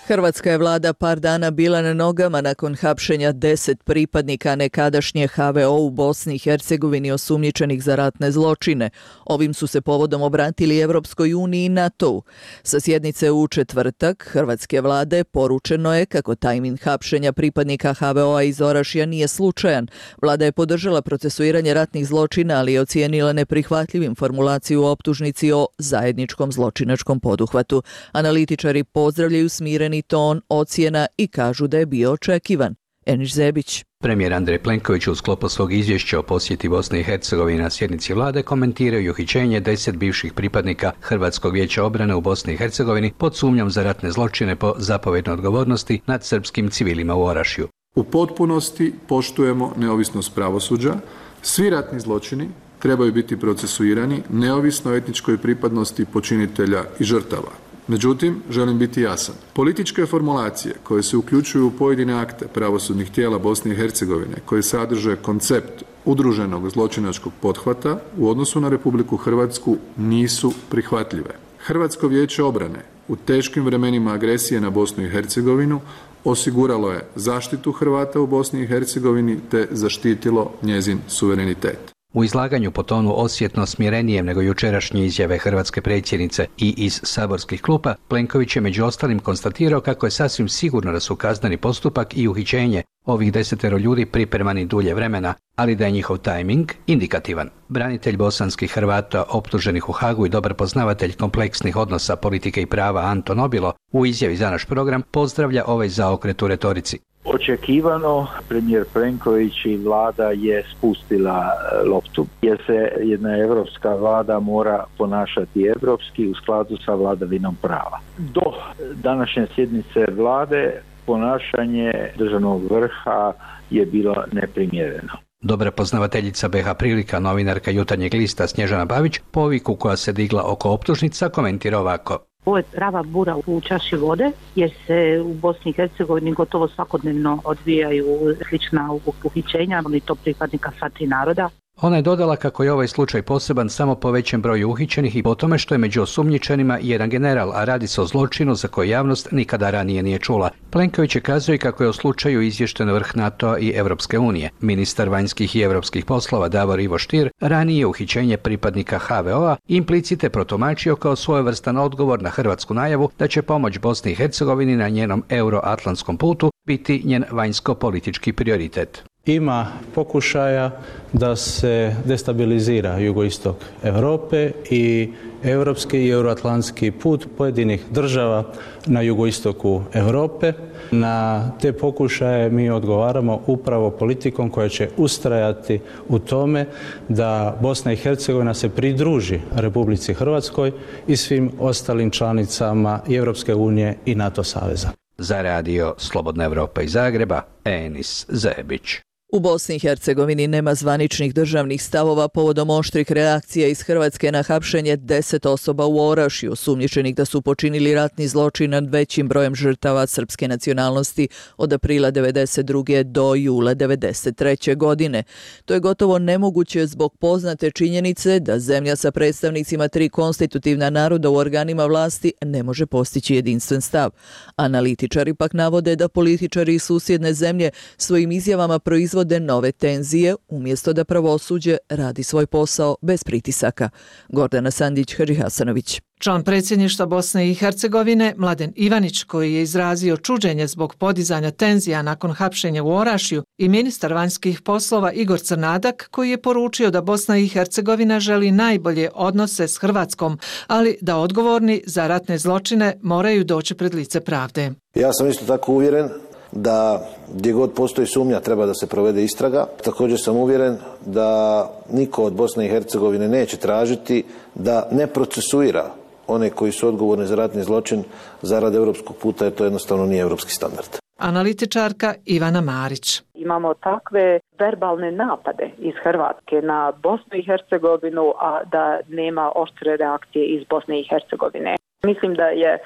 Hrvatska je vlada par dana bila na nogama nakon hapšenja 10 pripadnika nekadašnje HVO u Bosni i Hercegovini osumnjičenih za ratne zločine. Ovim su se povodom obratili Evropskoj uniji i NATO-u. Sa sjednice u četvrtak hrvatske vlade poručeno je kako tajmin hapšenja pripadnika HVO-a iz Orašja nije slučajan. Vlada je podržala procesuiranje ratnih zločina, ali je ocijenila neprihvatljivim formulaciju u optužnici o zajedničkom zločinačkom poduhvatu. Analitičari pozdravljaju smireni ton ocjena i kažu da je bio očekivan. Eniš Zebić. Premijer Andrej Plenković u sklopu svog izvješća o posjeti Bosne i Hercegovine na sjednici vlade komentirao i uhićenje 10 bivših pripadnika Hrvatskog vijeća obrane u Bosni i Hercegovini pod sumnjom za ratne zločine po zapovjednoj odgovornosti nad srpskim civilima u Orašju. U potpunosti poštujemo neovisnost pravosuđa. Svi ratni zločini trebaju biti procesuirani neovisno o etničkoj pripadnosti počinitelja i žrtava. Međutim, želim biti jasan. Političke formulacije koje se uključuju u pojedine akte pravosudnih tijela Bosne i Hercegovine, koje sadrže koncept udruženog zločinačkog pothvata u odnosu na Republiku Hrvatsku nisu prihvatljive. Hrvatsko vijeće obrane u teškim vremenima agresije na Bosnu i Hercegovinu osiguralo je zaštitu Hrvata u Bosni i Hercegovini te zaštitilo njezin suverenitet. U izlaganju po tonu osjetno smirenijem nego jučerašnje izjave hrvatske predsjednice i iz saborskih klupa, Plenković je među ostalim konstatirao kako je sasvim sigurno da su kazneni postupak i uhićenje ovih 10 ljudi pripremani dulje vremena, ali da je njihov tajming indikativan. Branitelj bosanskih Hrvata optuženih u Hagu i dobar poznavatelj kompleksnih odnosa politike i prava Anto Nobilo u izjavi za naš program pozdravlja ovaj zaokret u retorici. Očekivano, premijer Plenković i vlada je spustila loptu, jer se jedna evropska vlada mora ponašati evropski u skladu sa vladavinom prava. Do današnje sjednice vlade ponašanje državnog vrha je bilo neprimjereno. Dobra poznavateljica BH Prilika, novinarka Jutarnjeg lista Snježana Bavić, poviku koja se digla oko optužnica komentira ovako. Ovo je prava bura u čaši vode, jer se u Bosni i Hercegovini gotovo svakodnevno odvijaju slična uhićenja, ali to pripadnika sva tri naroda. Ona je dodala kako je ovaj slučaj poseban samo po većem broju uhićenih i po tome što je među osumnjičenima jedan general, a radi se o zločinu za koji javnost nikada ranije nije čula. Plenković je kazao kako je o slučaju izvješten vrh NATO-a i Evropske unije. Ministar vanjskih i evropskih poslova Davor Ivo Stier ranije uhićenje pripadnika HVO-a implicite protumačio kao svojevrstan odgovor na hrvatsku najavu da će pomoć Bosni i Hercegovini na njenom euroatlantskom putu biti njen vanjsko-politički prioritet. Ima pokušaja da se destabilizira jugoistok Europe i europski i euroatlantski put pojedinih država na jugoistoku Europe. Na te pokušaje mi odgovaramo upravo politikom koja će ustrajati u tome da Bosna i Hercegovina se pridruži Republici Hrvatskoj i svim ostalim članicama i Europske unije i NATO saveza. Za radio Slobodna Evropa iz Zagreba, Enis Zebić. U Bosni i Hercegovini nema zvaničnih državnih stavova povodom oštrih reakcija iz Hrvatske na hapšenje 10 osoba u Orašju, osumnjičenih da su počinili ratni zločin nad većim brojem žrtava srpske nacionalnosti od aprila 1992. do jula 1993. godine. To je gotovo nemoguće zbog poznate činjenice da zemlja sa predstavnicima 3 konstitutivna naroda u organima vlasti ne može postići jedinstven stav. Analitičari pak navode da političari iz susjedne zemlje svojim izjavama proizvode nove tenzije umjesto da pravosuđe radi svoj posao bez pritisaka. Gordana Sandić-Hadžihasanović. Član predsjedništva Bosne i Hercegovine Mladen Ivanić, koji je izrazio čuđenje zbog podizanja tenzija nakon hapšenja u Orašju, i ministar vanjskih poslova Igor Crnadak, koji je poručio da Bosna i Hercegovina želi najbolje odnose s Hrvatskom, ali da odgovorni za ratne zločine moraju doći pred lice pravde. Ja sam isto tako uvjeren da gdje god postoji sumnja treba da se provede istraga. Također sam uvjeren da niko od Bosne i Hercegovine neće tražiti da ne procesuira one koji su odgovorni za ratni zločin zarad europskog puta, jer to jednostavno nije europski standard. Analitičarka Ivana Marić. Imamo takve verbalne napade iz Hrvatske na Bosnu i Hercegovinu, a da nema oštre reakcije iz Bosne i Hercegovine. Mislim da je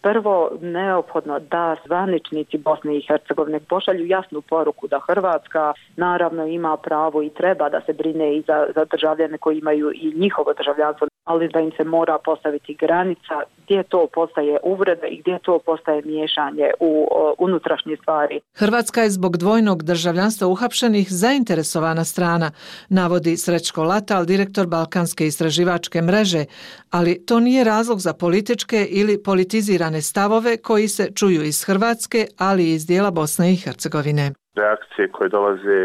prvo neophodno da zvaničnici Bosne i Hercegovine pošalju jasnu poruku da Hrvatska naravno ima pravo i treba da se brine i za državljane koji imaju i njihovo državljanstvo, ali da im se mora postaviti granica gdje to postaje uvreda i gdje to postaje miješanje u unutrašnje stvari. Hrvatska je zbog dvojnog državljanstva uhapšenih zainteresovana strana, navodi Srećko Latal, direktor Balkanske istraživačke mreže, ali to nije razlog za političke ili politizirane stavove koji se čuju iz Hrvatske, ali i iz dijela Bosne i Hercegovine. Reakcije koje dolaze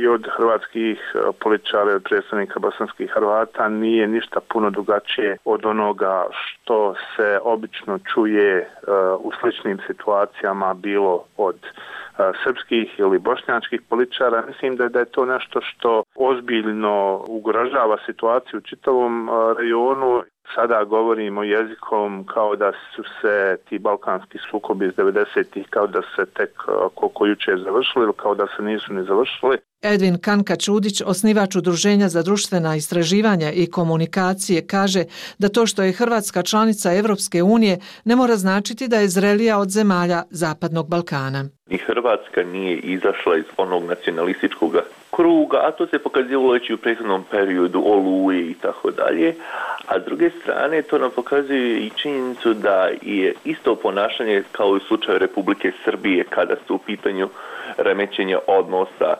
i od hrvatskih političara i od predstavnika bosanskih Hrvata nije ništa puno drugačije od onoga što se obično čuje u sličnim situacijama, bilo od srpskih ili bošnjačkih političara. Mislim da je to nešto što ozbiljno ugrožava situaciju u čitavom rejonu. Sada govorimo jezikom kao da su se ti balkanski sukobi iz 90-ih kao da se tek koliko juče završili ili kao da se nisu ni završili. Edvin Kanka-Čudić, osnivač Udruženja za društvena istraživanja i komunikacije, kaže da to što je Hrvatska članica Evropske unije ne mora značiti da je zrelija od zemalja Zapadnog Balkana. Ni Hrvatska nije izašla iz onog nacionalističkog kruga, a to se pokazivalo već i u prethodnom periodu Oluje i tako dalje. A s druge strane to nam pokazuje i činjenicu da je isto ponašanje kao i u slučaju Republike Srbije kada su u pitanju remećenja odnosa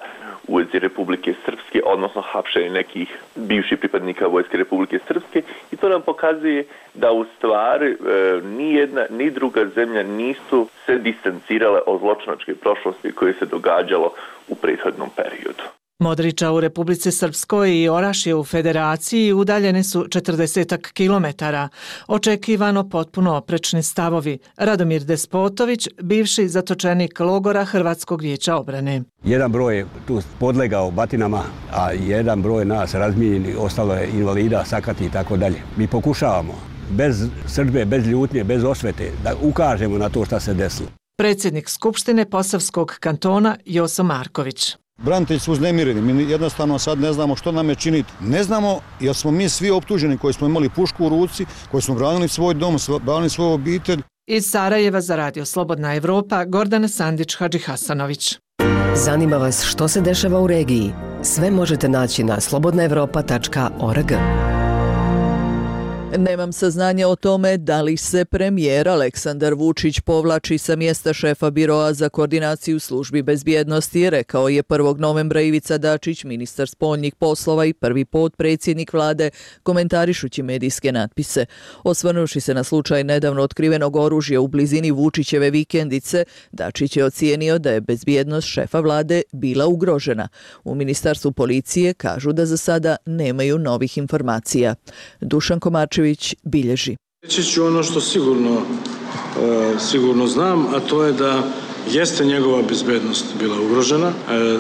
u vezi Republike Srpske, odnosno hapšenje nekih bivših pripadnika Vojske Republike Srpske, i to nam pokazuje da u stvari ni jedna ni druga zemlja nisu se distancirale od zločinačke prošlosti koje se događalo u prethodnom periodu. Modriča u Republici Srpskoj i Orašje u Federaciji udaljene su 40 kilometara. Očekivano potpuno oprečni stavovi. Radomir Despotović, bivši zatočenik logora Hrvatskog vijeća obrane. Jedan broj je tu podlegao batinama, a jedan broj nas razmijenjeni, ostalo je invalida, sakati i tako dalje. Mi pokušavamo bez srdbe, bez ljutnje, bez osvete da ukažemo na to šta se desilo. Predsjednik Skupštine Posavskog kantona Joso Marković. Branitelji su uznemireni, mi jednostavno sad ne znamo što nam je činiti. Ne znamo jer smo mi svi optuženi koji smo imali pušku u ruci, koji smo branili svoj dom, branili svoju obitelj. Iz Sarajeva za radio Slobodna Evropa, Gordana Sandić-Hadžihasanović. Zanima vas što se dešava u regiji? Sve možete naći na slobodnaevropa.org. Nemam saznanja o tome da li se premijer Aleksandar Vučić povlači sa mjesta šefa Biroa za koordinaciju službi bezbjednosti, rekao je 1. novembra Ivica Dačić, ministar spoljnih poslova i prvi potpredsjednik vlade, komentarišući medijske natpise. Osvrnuši se na slučaj nedavno otkrivenog oružja u blizini Vučićeve vikendice, Dačić je ocijenio da je bezbjednost šefa vlade bila ugrožena. U ministarstvu policije kažu da za sada nemaju novih informacija. Dušan Komarčević bilježi. Reći ću ono što sigurno znam, a to je da jeste njegova bezbednost bila ugrožena.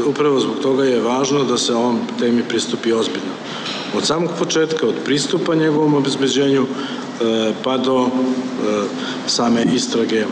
Upravo zbog toga je važno da se ovom temi pristupi ozbiljno. Od samog početka, od pristupa njegovom obezbeđenju pa do same istrage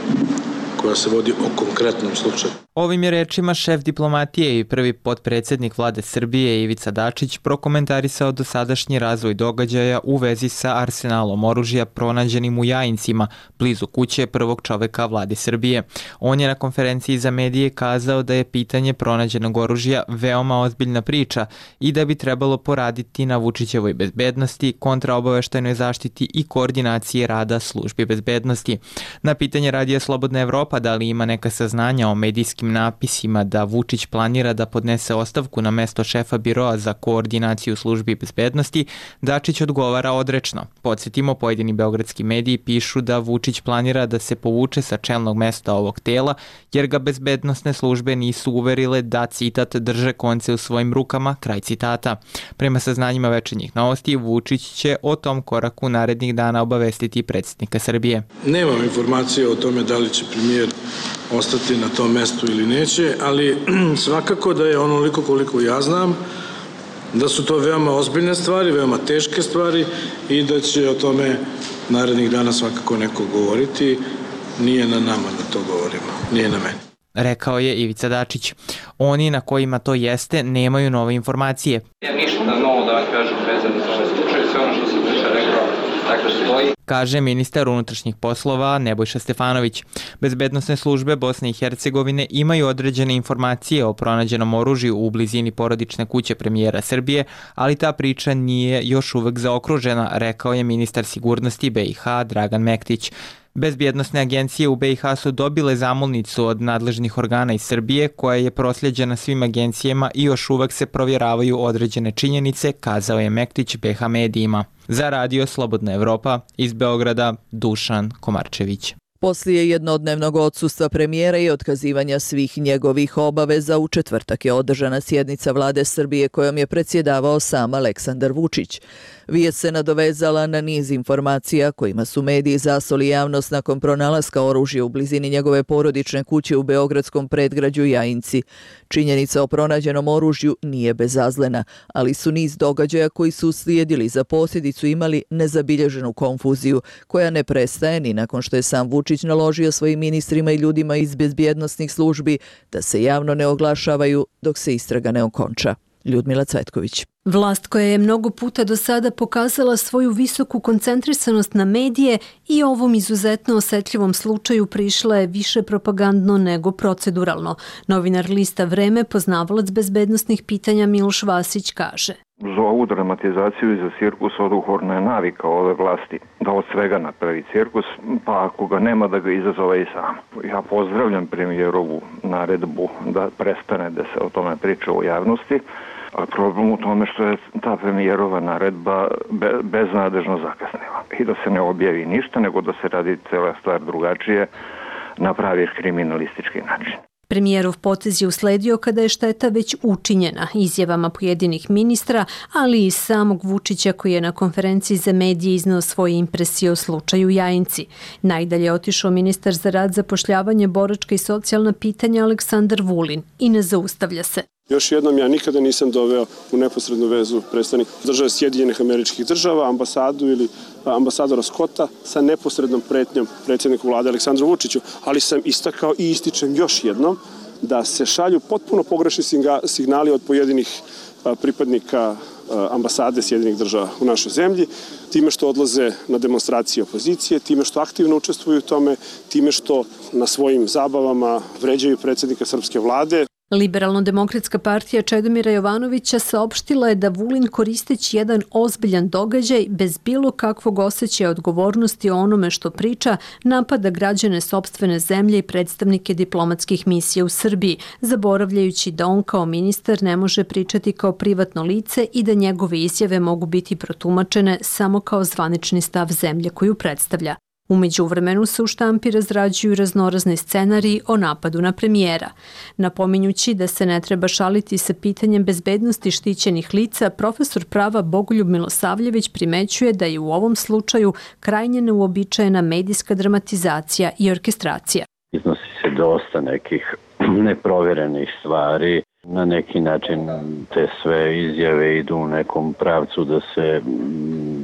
koja se vodi o konkretnom slučaju. Ovim je rečima šef diplomatije i prvi potpredsjednik vlade Srbije Ivica Dačić prokomentarisao dosadašnji razvoj događaja u vezi sa arsenalom oružja pronađenim u Jajincima, blizu kuće prvog čoveka vlade Srbije. On je na konferenciji za medije kazao da je pitanje pronađenog oružja veoma ozbiljna priča i da bi trebalo poraditi na Vučićevoj bezbednosti, kontraobaveštajnoj zaštiti i koordinacije rada službi bezbednosti. Na pitanje Radija Slobodna Evropa da li ima neka saznanja o medijskim napisima da Vučić planira da podnese ostavku na mesto šefa Biroa za koordinaciju službi bezbednosti, Dačić odgovara odrečno. Podsjetimo, pojedini beogradski mediji pišu da Vučić planira da se povuče sa čelnog mesta ovog tela, jer ga bezbednosne službe nisu uverile da, citat, drže konce u svojim rukama, kraj citata. Prema saznanjima Večernjih novosti, Vučić će o tom koraku narednih dana obavestiti predsjednika Srbije. Nemam informacije o tome da li će premijer ostati na tom mestu ili neće, ali svakako da je onoliko koliko ja znam, da su to veoma ozbiljne stvari, veoma teške stvari i da će o tome narednih dana svakako neko govoriti. Nije na nama da to govorimo, nije na meni. Rekao je Ivica Dačić. Oni na kojima to jeste nemaju nove informacije. Ja ništa novo da vam kažem vezano za ovaj slučaj, sve ono što sam već rekao, tako stoji. Kaže ministar unutrašnjih poslova Nebojša Stefanović. Bezbednosne službe Bosne i Hercegovine imaju određene informacije o pronađenom oružju u blizini porodične kuće premijera Srbije, ali ta priča nije još uvek zaokružena, rekao je ministar sigurnosti BiH Dragan Mektić. Bezbjednosne agencije u BiH su dobile zamolnicu od nadležnih organa iz Srbije koja je prosljeđena svim agencijama i još uvek se provjeravaju određene činjenice, kazao je Mektić BiH medijima. Za Radio Slobodna Evropa iz Beograda, Dušan Komarčević. Poslije jednodnevnog odsustva premijera i otkazivanja svih njegovih obaveza, u četvrtak je održana sjednica vlade Srbije kojom je predsjedavao sam Aleksandar Vučić. Vijest se nadovezala na niz informacija kojima su mediji zasoli javnost nakon pronalaska oružja u blizini njegove porodične kuće u beogradskom predgrađu Jajinci. Činjenica o pronađenom oružju nije bezazlena, ali su niz događaja koji su uslijedili za posljedicu imali nezabilježenu konfuziju, koja ne prestaje ni nakon što je sam Vučić naložio svojim ministrima i ljudima iz bezbjednosnih službi da se javno ne oglašavaju dok se istraga ne okonča. Ljudmila Cvetković. Vlast koja je mnogo puta do sada pokazala svoju visoku koncentrisanost na medije i ovom izuzetno osetljivom slučaju prišla je više propagandno nego proceduralno. Novinar lista Vreme, poznavalac bezbednosnih pitanja Miloš Vasić kaže. Za ovu dramatizaciju i za cirkus oduhorna je navika ove vlasti da od svega napravi cirkus, pa ako ga nema da ga izazove i sam. Ja pozdravljam premijerovu naredbu da prestane da se o tome priča u javnosti, a problem u tome što je ta premijerova naredba beznadežno zakasnila i da se ne objavi ništa, nego da se radi cela stvar drugačije na pravi kriminalistički način. Premijerov potez je usledio kada je šteta već učinjena izjavama pojedinih ministra, ali i samog Vučića koji je na konferenciji za medije izneo svoje impresije o slučaju Jajinci. Najdalje je otišao ministar za rad, zapošljavanje, boračka i socijalna pitanja Aleksandar Vulin i ne zaustavlja se. Još jednom, ja nikada nisam doveo u neposrednu vezu predstavnik države Sjedinjenih Američkih Država, ambasadu ili ambasadora Scotta sa neposrednom pretnjom predsjedniku vlade Aleksandru Vučiću, ali sam istakao i ističem još jednom da se šalju potpuno pogrešni signali od pojedinih pripadnika ambasade Sjedinjenih Država u našoj zemlji, time što odlaze na demonstracije opozicije, time što aktivno učestvuju u tome, time što na svojim zabavama vređaju predsjednika srpske vlade. Liberalno-demokratska partija Čedomira Jovanovića saopštila je da Vulin koristeći jedan ozbiljan događaj bez bilo kakvog osjećaja odgovornosti o onome što priča, napada građane sopstvene zemlje i predstavnike diplomatskih misija u Srbiji, zaboravljajući da on kao ministar ne može pričati kao privatno lice i da njegove izjave mogu biti protumačene samo kao zvanični stav zemlje koju predstavlja. U međuvremenu se u štampi razrađuju raznorazni scenariji o napadu na premijera. Napominjući da se ne treba šaliti sa pitanjem bezbednosti štićenih lica, profesor prava Bogoljub Milosavljević primećuje da je u ovom slučaju krajnje neuobičajena medijska dramatizacija i orkestracija. Iznosi se dosta nekih neprovjerenih stvari. Na neki način te sve izjave idu u nekom pravcu da se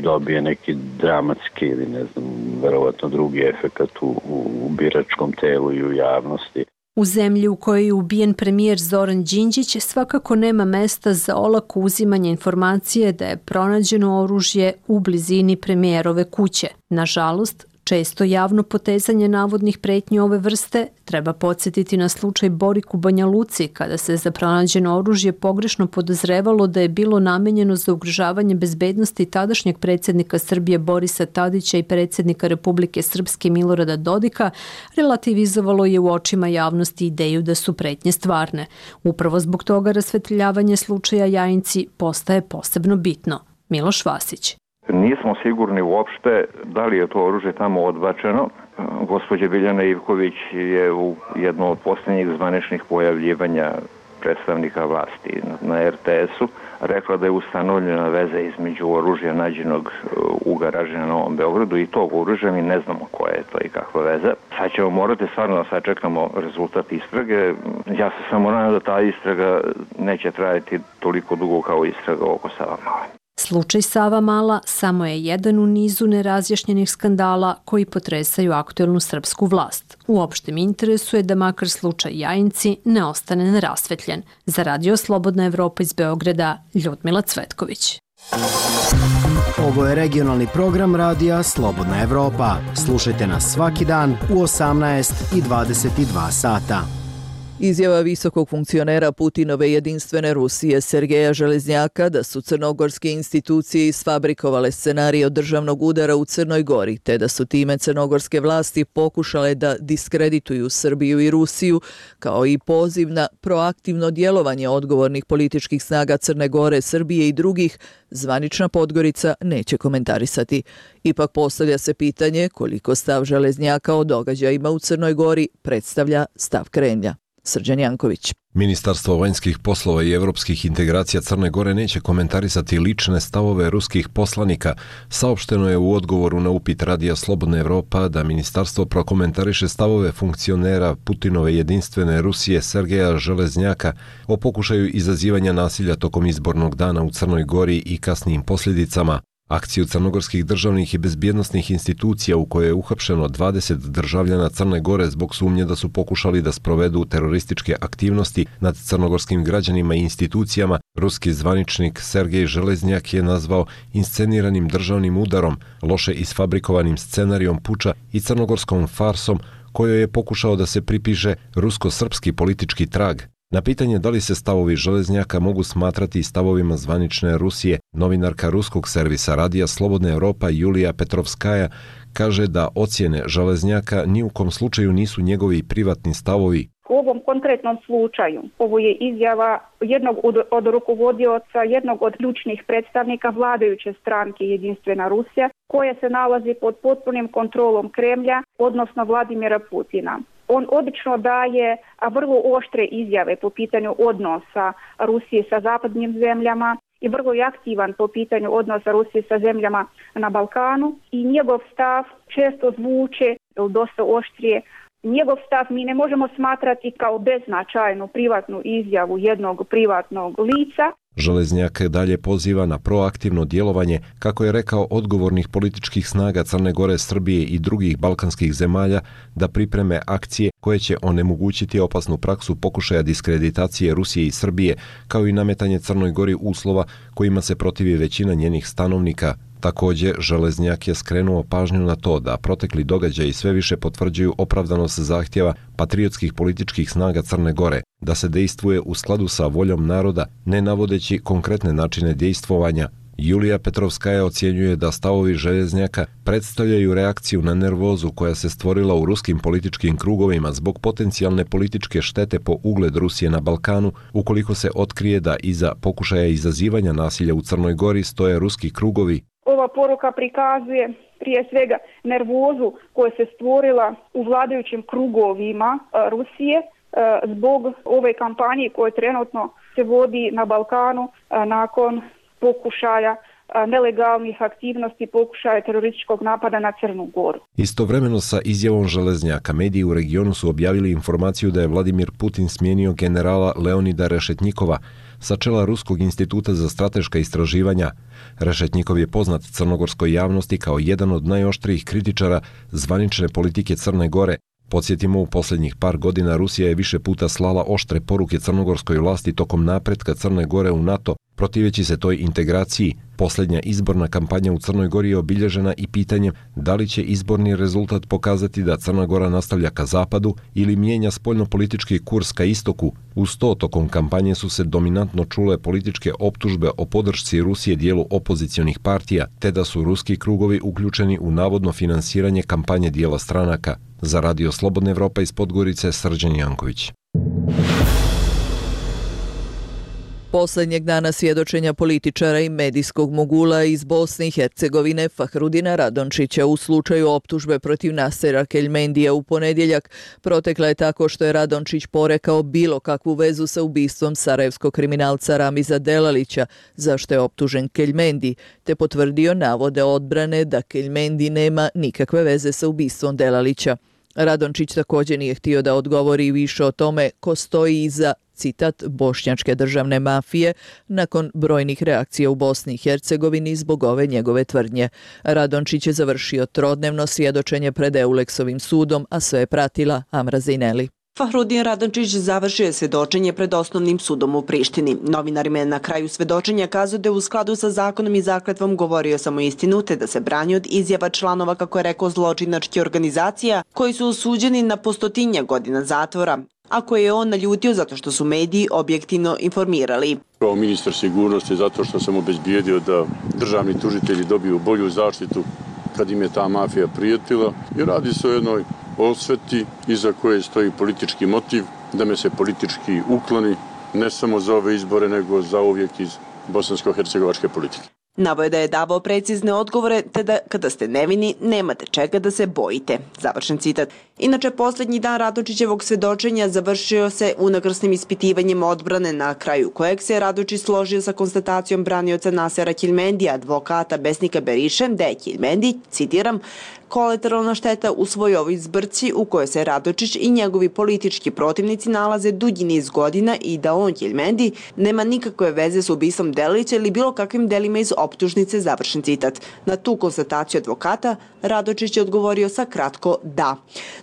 dobije neki dramatski ili ne znam, verovatno drugi efekat u biračkom telu i u javnosti. U zemlji u kojoj je ubijen premijer Zoran Đinđić svakako nema mesta za olako uzimanje informacije da je pronađeno oružje u blizini premijerove kuće. Nažalost, često javno potezanje navodnih pretnji ove vrste treba podsjetiti na slučaj Borik u Banja Luci, kada se za pronađeno oružje pogrešno podozrevalo da je bilo namenjeno za ugrožavanje bezbednosti tadašnjeg predsjednika Srbije Borisa Tadića i predsjednika Republike Srpske Milorada Dodika, relativizovalo je u očima javnosti ideju da su pretnje stvarne. Upravo zbog toga rasvetljavanje slučaja Jajinci postaje posebno bitno. Miloš Vasić. Nismo sigurni uopšte da li je to oružje tamo odbačeno. Gospođa Biljana Ivković je u jednom od posljednjih zvaničnih pojavljivanja predstavnika vlasti na RTS-u rekla da je ustanovljena veza između oružja nađenog u garaži na Novom Beogradu i tog oružja. Mi ne znamo koja je to i kakva veza. Sad ćemo morati stvarno da sačekamo rezultat istrage. Ja se samo nadam da ta istraga neće trajati toliko dugo kao istraga oko Savamale. Slučaj Savamala samo je jedan u nizu nerazjašnjenih skandala koji potresaju aktuelnu srpsku vlast. U opštem interesu je da makar slučaj Jajinci ne ostane nerasvetljen. Za Radio Slobodna Evropa iz Beograda, Ljudmila Cvetković. Ovo je regionalni program Radija Slobodna Evropa. Slušajte nas svaki dan u 18 i 22 sata. Izjava visokog funkcionera Putinove jedinstvene Rusije Sergeja Železnjaka da su crnogorske institucije isfabrikovale scenarij državnog udara u Crnoj Gori, te da su time crnogorske vlasti pokušale da diskredituju Srbiju i Rusiju, kao i poziv na proaktivno djelovanje odgovornih političkih snaga Crne Gore, Srbije i drugih, zvanična Podgorica neće komentarisati. Ipak postavlja se pitanje koliko stav Železnjaka o događajima u Crnoj Gori predstavlja stav Kremlja. Srđan Janković. Ministarstvo vanjskih poslova i evropskih integracija Crne Gore neće komentarisati lične stavove ruskih poslanika. Saopšteno je u odgovoru na upit Radija Slobodna Evropa da ministarstvo prokomentariše stavove funkcionera Putinove jedinstvene Rusije Sergeja Železnjaka o pokušaju izazivanja nasilja tokom izbornog dana u Crnoj Gori i kasnijim posljedicama. Akciju crnogorskih državnih i bezbjednosnih institucija u kojoj je uhapšeno 20 državljana Crne Gore zbog sumnje da su pokušali da sprovedu terorističke aktivnosti nad crnogorskim građanima i institucijama, ruski zvaničnik Sergej Železnjak je nazvao insceniranim državnim udarom, loše isfabrikovanim scenarijom puča i crnogorskom farsom kojoj je pokušao da se pripiše rusko-srpski politički trag. Na pitanje da li se stavovi Železnjaka mogu smatrati stavovima zvanične Rusije, novinarka ruskog servisa Radija Slobodna Evropa Julija Petrovskaja kaže da ocjene Železnjaka ni u kom slučaju nisu njegovi privatni stavovi. U ovom konkretnom slučaju ovo je izjava jednog od rukovodioca, jednog od ključnih predstavnika vladajuće stranke Jedinstvena Rusija, koja se nalazi pod potpunim kontrolom Kremlja, odnosno Vladimira Putina. On obično daje vrlo oštre izjave po pitanju odnosa Rusije sa zapadnim zemljama i vrlo je aktivan po pitanju odnosa Rusije sa zemljama na Balkanu i njegov stav često zvuče dosta oštrije. Njegov stav mi ne možemo smatrati kao beznačajnu privatnu izjavu jednog privatnog lica. Železnjak dalje poziva na proaktivno djelovanje, kako je rekao, odgovornih političkih snaga Crne Gore, Srbije i drugih balkanskih zemalja da pripreme akcije koje će onemogućiti opasnu praksu pokušaja diskreditacije Rusije i Srbije, kao i nametanje Crnoj Gori uslova kojima se protivi većina njenih stanovnika, Također, Železnjak je skrenuo pažnju na to da protekli događaji sve više potvrđuju opravdanost zahtjeva patriotskih političkih snaga Crne Gore da se dejstvuje u skladu sa voljom naroda, ne navodeći konkretne načine dejstvovanja. Julija Petrovskaja ocjenjuje da stavovi Železnjaka predstavljaju reakciju na nervozu koja se stvorila u ruskim političkim krugovima zbog potencijalne političke štete po ugled Rusije na Balkanu, ukoliko se otkrije da iza pokušaja izazivanja nasilja u Crnoj Gori stoje ruski krugovi. Ova poruka prikazuje prije svega nervozu koja se stvorila u vladajućim krugovima Rusije zbog ove kampanje koje trenutno se vodi na Balkanu nakon pokušaja nelegalnih aktivnosti, pokušaja terorističkog napada na Crnu Goru. Istovremeno sa izjavom Železnjaka, mediji u regionu su objavili informaciju da je Vladimir Putin smijenio generala Leonida Rešetnjikova sa čela Ruskog instituta za strateška istraživanja. Rešetnjikov je poznat crnogorskoj javnosti kao jedan od najoštrijih kritičara zvanične politike Crne Gore. Podsjetimo, u posljednjih par godina Rusija je više puta slala oštre poruke crnogorskoj vlasti tokom napretka Crne Gore u NATO, protiveći se toj integraciji. Posljednja izborna kampanja u Crnoj Gori je obilježena i pitanjem da li će izborni rezultat pokazati da Crna Gora nastavlja ka zapadu ili mijenja spoljnopolitički kurs ka istoku. Uz to, tokom kampanje su se dominantno čule političke optužbe o podršci Rusije dijelu opozicionih partija, te da su ruski krugovi uključeni u navodno finansiranje kampanje dijela stranaka. Za Radio Slobodna Evropa iz Podgorice, Srđan Janković. Posljednjeg dana svjedočenja političara i medijskog mogula iz Bosne i Hercegovine Fahrudina Radončića u slučaju optužbe protiv Nasera Keljmendija u ponedjeljak protekla je tako što je Radončić porekao bilo kakvu vezu sa ubistvom sarajevskog kriminalca Ramiza Delalića, za što je optužen Keljmendi, te potvrdio navode odbrane da Keljmendi nema nikakve veze sa ubistvom Delalića. Radončić također nije htio da odgovori više o tome ko stoji iza, citat, bošnjačke državne mafije nakon brojnih reakcija u Bosni i Hercegovini zbog ove njegove tvrdnje. Radončić je završio trodnevno svjedočenje pred Euleksovim sudom, a sve je pratila Amra Zejneli. Fahrudin Radončić završio je svjedočenje pred osnovnim sudom u Prištini. Novinarima je na kraju svjedočenja kazao da je u skladu sa zakonom i zakletvom govorio samo istinu, te da se brani od izjava članova, kako je rekao, zločinačkih organizacija koji su osuđeni na po 100 godina zatvora, a koje je on naljutio zato što su mediji objektivno informirali. Kao ministar sigurnosti, zato što sam obezbijedio da državni tužitelji dobiju bolju zaštitu kad im je ta mafija prijetila, i radi se o jednoj osveti iza koje stoji politički motiv, da me se politički ukloni ne samo za ove izbore, nego za uvijek iz bosansko-hercegovačke politike. Navoje da je davao precizne odgovore, te da kada ste nevini nemate čega da se bojite. Završen citat. Inače, posljednji dan Radončićevog svjedočenja završio se unakrsnim ispitivanjem odbrane, na kraju kojeg se Radončić složio sa konstatacijom branioca Nasera Keljmendija, advokata Besnika Beriše, da je Keljmendi, citiram, kolateralna šteta u svojoj zbrci u kojoj se Radončić i njegovi politički protivnici nalaze dugi niz godina i da on, Keljmendi, nema nikakve veze s ubistvom Delalića ili bilo kakvim delima iz optužnice, završen citat. Na tu konstataciju advokata Radončić je odgovorio sa kratko da.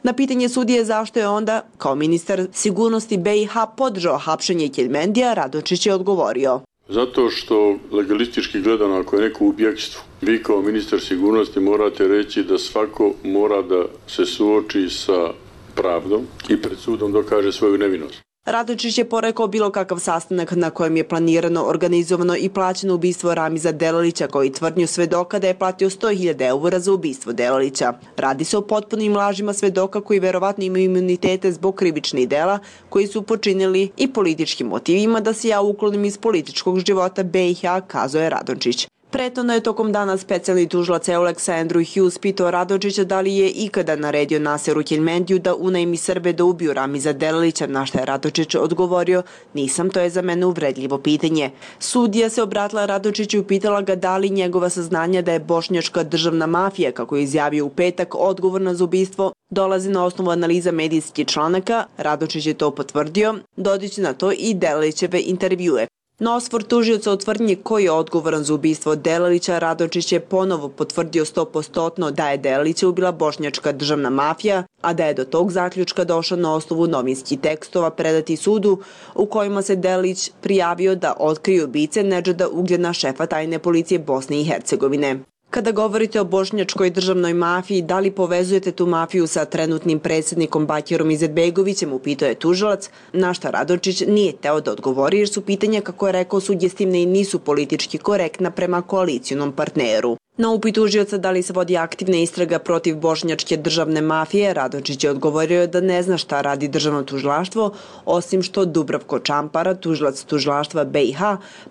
Na pitanje sudije zašto je onda, kao ministar sigurnosti BiH, podržao hapšenje Keljmendija, Radončić je odgovorio: zato što legalistički gledano, ako je neko u bjegstvu, vi kao ministar sigurnosti morate reći da svako mora da se suoči sa pravdom i pred sudom dokaže svoju nevinost. Radončić je porekao bilo kakav sastanak na kojem je planirano, organizovano i plaćeno ubistvo Ramiza Delalića, koji tvrdnju svedoka da je platio 100.000 eura za ubistvo Delalića. Radi se o potpunim lažima svedoka koji verovatno imaju imunitete zbog krivičnih dela koji su počinili i političkim motivima da se ja uklonim iz političkog života BiH, kazao je Radončić. Prethodno je tokom dana specijalni tužilac Euleksa Andrew Hughes pitao Radončića da li je ikada naredio Naseru Keljmendiju da unajmi Srbe da ubiju Ramiza Delalića, na što je Radončić odgovorio: nisam, to je za mene uvredljivo pitanje. Sudija se obratila Radončiću i pitala ga da li njegova saznanja da je bošnjačka državna mafija, kako je izjavio u petak, odgovorna za ubistvo, dolazi na osnovu analiza medijskih članaka. Radončić je to potvrdio, dodajući na to i Delalićeve intervjue. Na osvor tužioca o tvrdnji ko je odgovoran za ubistvo Delalića, Radončić je ponovo potvrdio 100% da je Delalića ubila bošnjačka državna mafija, a da je do tog zaključka došao na osnovu novinskih tekstova predati sudu u kojima se Delalić prijavio da otkrije ubice Nedžada Ugljena, šefa tajne policije Bosne i Hercegovine. Kada govorite o bošnjačkoj državnoj mafiji, da li povezujete tu mafiju sa trenutnim predsjednikom Bakirom Izetbegovićem, upitao je tužilac, na šta Radončić nije teo da odgovori jer su pitanja, kako je rekao, sugestivne i nisu politički korektna prema koalicijonom partneru. Na upit tužioca da li se vodi aktivna istraga protiv bošnjačke državne mafije, Radončić je odgovorio da ne zna šta radi državno tužilaštvo, osim što Dubravko Čampara, tužilac tužilaštva BiH,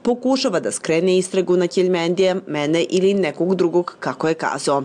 pokušava da skrene istragu na Keljmendija, mene ili nekog drugog, kako je kazao.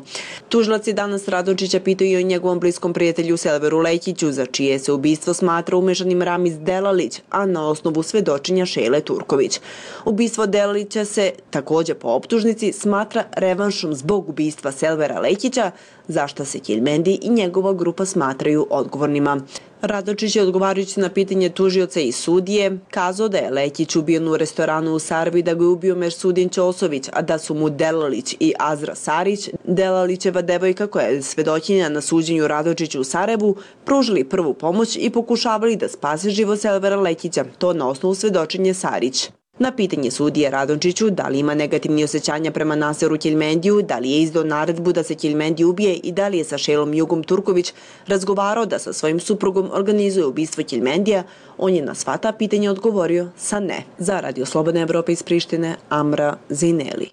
Tužilac je danas Radončića pitao i o njegovom bliskom prijatelju Selveru Lekiću, za čije se ubistvo smatra umešanim Ramiz Delalić, a na osnovu svedočenja Šejle Turković. Ubistvo Delalića se također po optužnici smatra revanšom zbog ubistva Selvera Lekića, za šta se Keljmendi i njegova grupa smatraju odgovornima. Radončić je odgovarajući na pitanje tužioca i sudije kazao da je Lekić ubijen u restoranu u Sarbi, da ga je ubio Mersudin Ćosović, a da su mu Delalić i Azra Sarić, Delalićeva devojka koja je svedočenja na suđenju Radončiću u Sarajevu, pružili prvu pomoć i pokušavali da spase život Selvera Lekića, to na osnovu svedočenja Sarić. Na pitanje sudije Radončiću da li ima negativni osjećanja prema Naseru Keljmendiju, da li je izdao naredbu da se Keljmendi ubije i da li je sa Šejlom Jugom Turković razgovarao da sa svojim suprugom organizuje ubistvo Keljmendija, on je na sva ta pitanja odgovorio sa ne. Za Radio Slobodne Evrope iz Prištine, Amra Zejneli.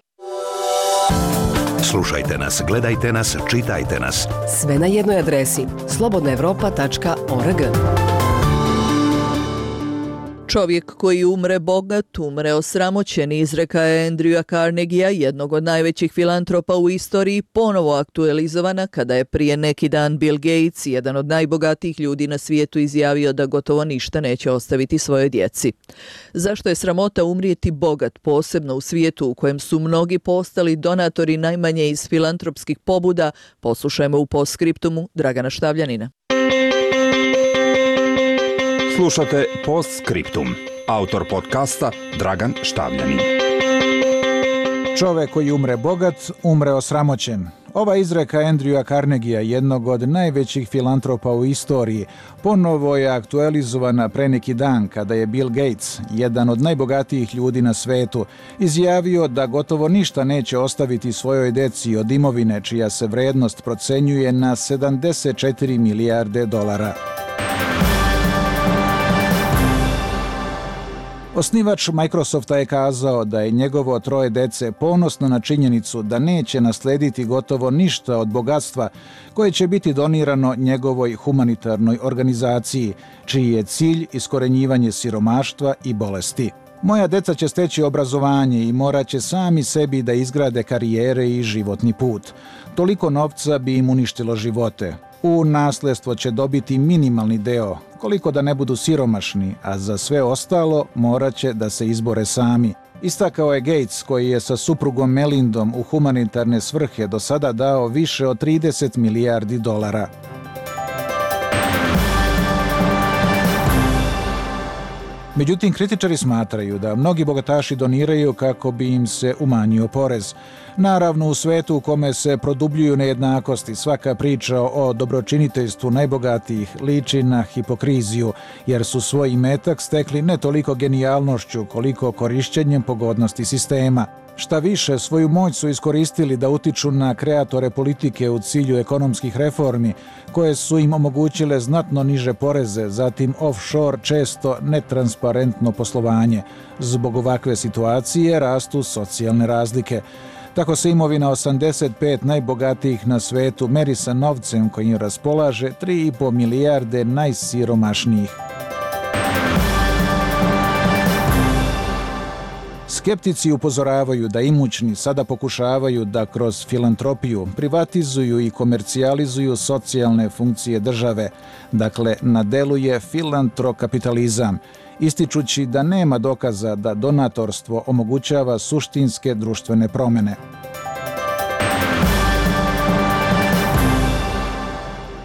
Slušajte nas, gledajte nas, čitajte nas. Sve na jednoj adresi slobodnaevropa.org. Čovjek koji umre bogat, umre osramoćen, izreka je Andrewa Carnegia, jednog od najvećih filantropa u istoriji, ponovo aktualizovana kada je prije neki dan Bill Gates, jedan od najbogatijih ljudi na svijetu, izjavio da gotovo ništa neće ostaviti svojoj djeci. Zašto je sramota umrijeti bogat, posebno u svijetu u kojem su mnogi postali donatori najmanje iz filantropskih pobuda, poslušajmo u postskriptumu Dragana Štavljanina. Slušate Postskriptum. Autor podcasta Dragan Štavljanin. Čovek koji umre bogat, umre osramoćen. Ova izreka Andrewa Carnegia, jednog od najvećih filantropa u istoriji, ponovo je aktualizovana pre neki dan kada je Bill Gates, jedan od najbogatijih ljudi na svetu, izjavio da gotovo ništa neće ostaviti svojoj deci od imovine čija se vrednost procenjuje na 74 milijarde dolara. Osnivač Microsofta je kazao da je njegovo 3 dece ponosno na činjenicu da neće naslediti gotovo ništa od bogatstva koje će biti donirano njegovoj humanitarnoj organizaciji, čiji je cilj iskorenjivanje siromaštva i bolesti. Moja deca će steći obrazovanje i morat će sami sebi da izgrade karijere i životni put. Toliko novca bi im uništilo živote. U nasledstvo će dobiti minimalni deo, koliko da ne budu siromašni, a za sve ostalo morat će da se izbore sami. Istakao je Gates, koji je sa suprugom Melindom u humanitarne svrhe do sada dao više od 30 milijardi dolara. Međutim, kritičari smatraju da mnogi bogataši doniraju kako bi im se umanjio porez. Naravno, u svetu u kome se produbljuju nejednakosti, svaka priča o dobročiniteljstvu najbogatijih liči na hipokriziju, jer su svoj imetak stekli ne toliko genijalnošću koliko korišćenjem pogodnosti sistema. Šta više, svoju moć su iskoristili da utiču na kreatore politike u cilju ekonomskih reformi, koje su im omogućile znatno niže poreze, zatim offshore, često netransparentno poslovanje. Zbog ovakve situacije rastu socijalne razlike. Tako se imovina 85 najbogatijih na svetu meri sa novcem kojim raspolaže 3,5 milijarde najsiromašnijih. Skeptici upozoravaju da imućni sada pokušavaju da kroz filantropiju privatizuju i komercijalizuju socijalne funkcije države. Dakle, na delu je filantrokapitalizam, ističući da nema dokaza da donatorstvo omogućava suštinske društvene promjene.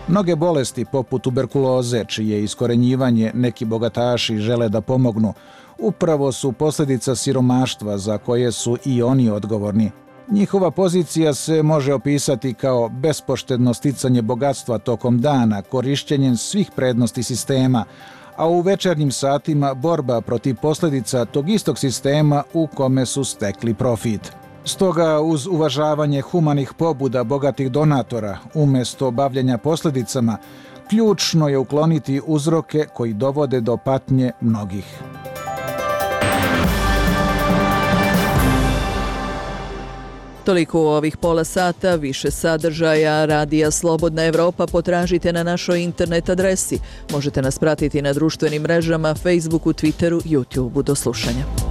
Mnoge bolesti poput tuberkuloze, čije iskorenjivanje neki bogataši žele da pomognu, upravo su posljedica siromaštva za koje su i oni odgovorni. Njihova pozicija se može opisati kao bespoštedno sticanje bogatstva tokom dana, korišćenjem svih prednosti sistema, a u večernjim satima borba protiv posljedica tog istog sistema u kome su stekli profit. Stoga, uz uvažavanje humanih pobuda bogatih donatora, umjesto bavljenja posljedicama, ključno je ukloniti uzroke koji dovode do patnje mnogih. Toliko u ovih pola sata, više sadržaja Radija Slobodna Evropa potražite na našoj internet adresi. Možete nas pratiti na društvenim mrežama, Facebooku, Twitteru, YouTubeu. Do slušanja.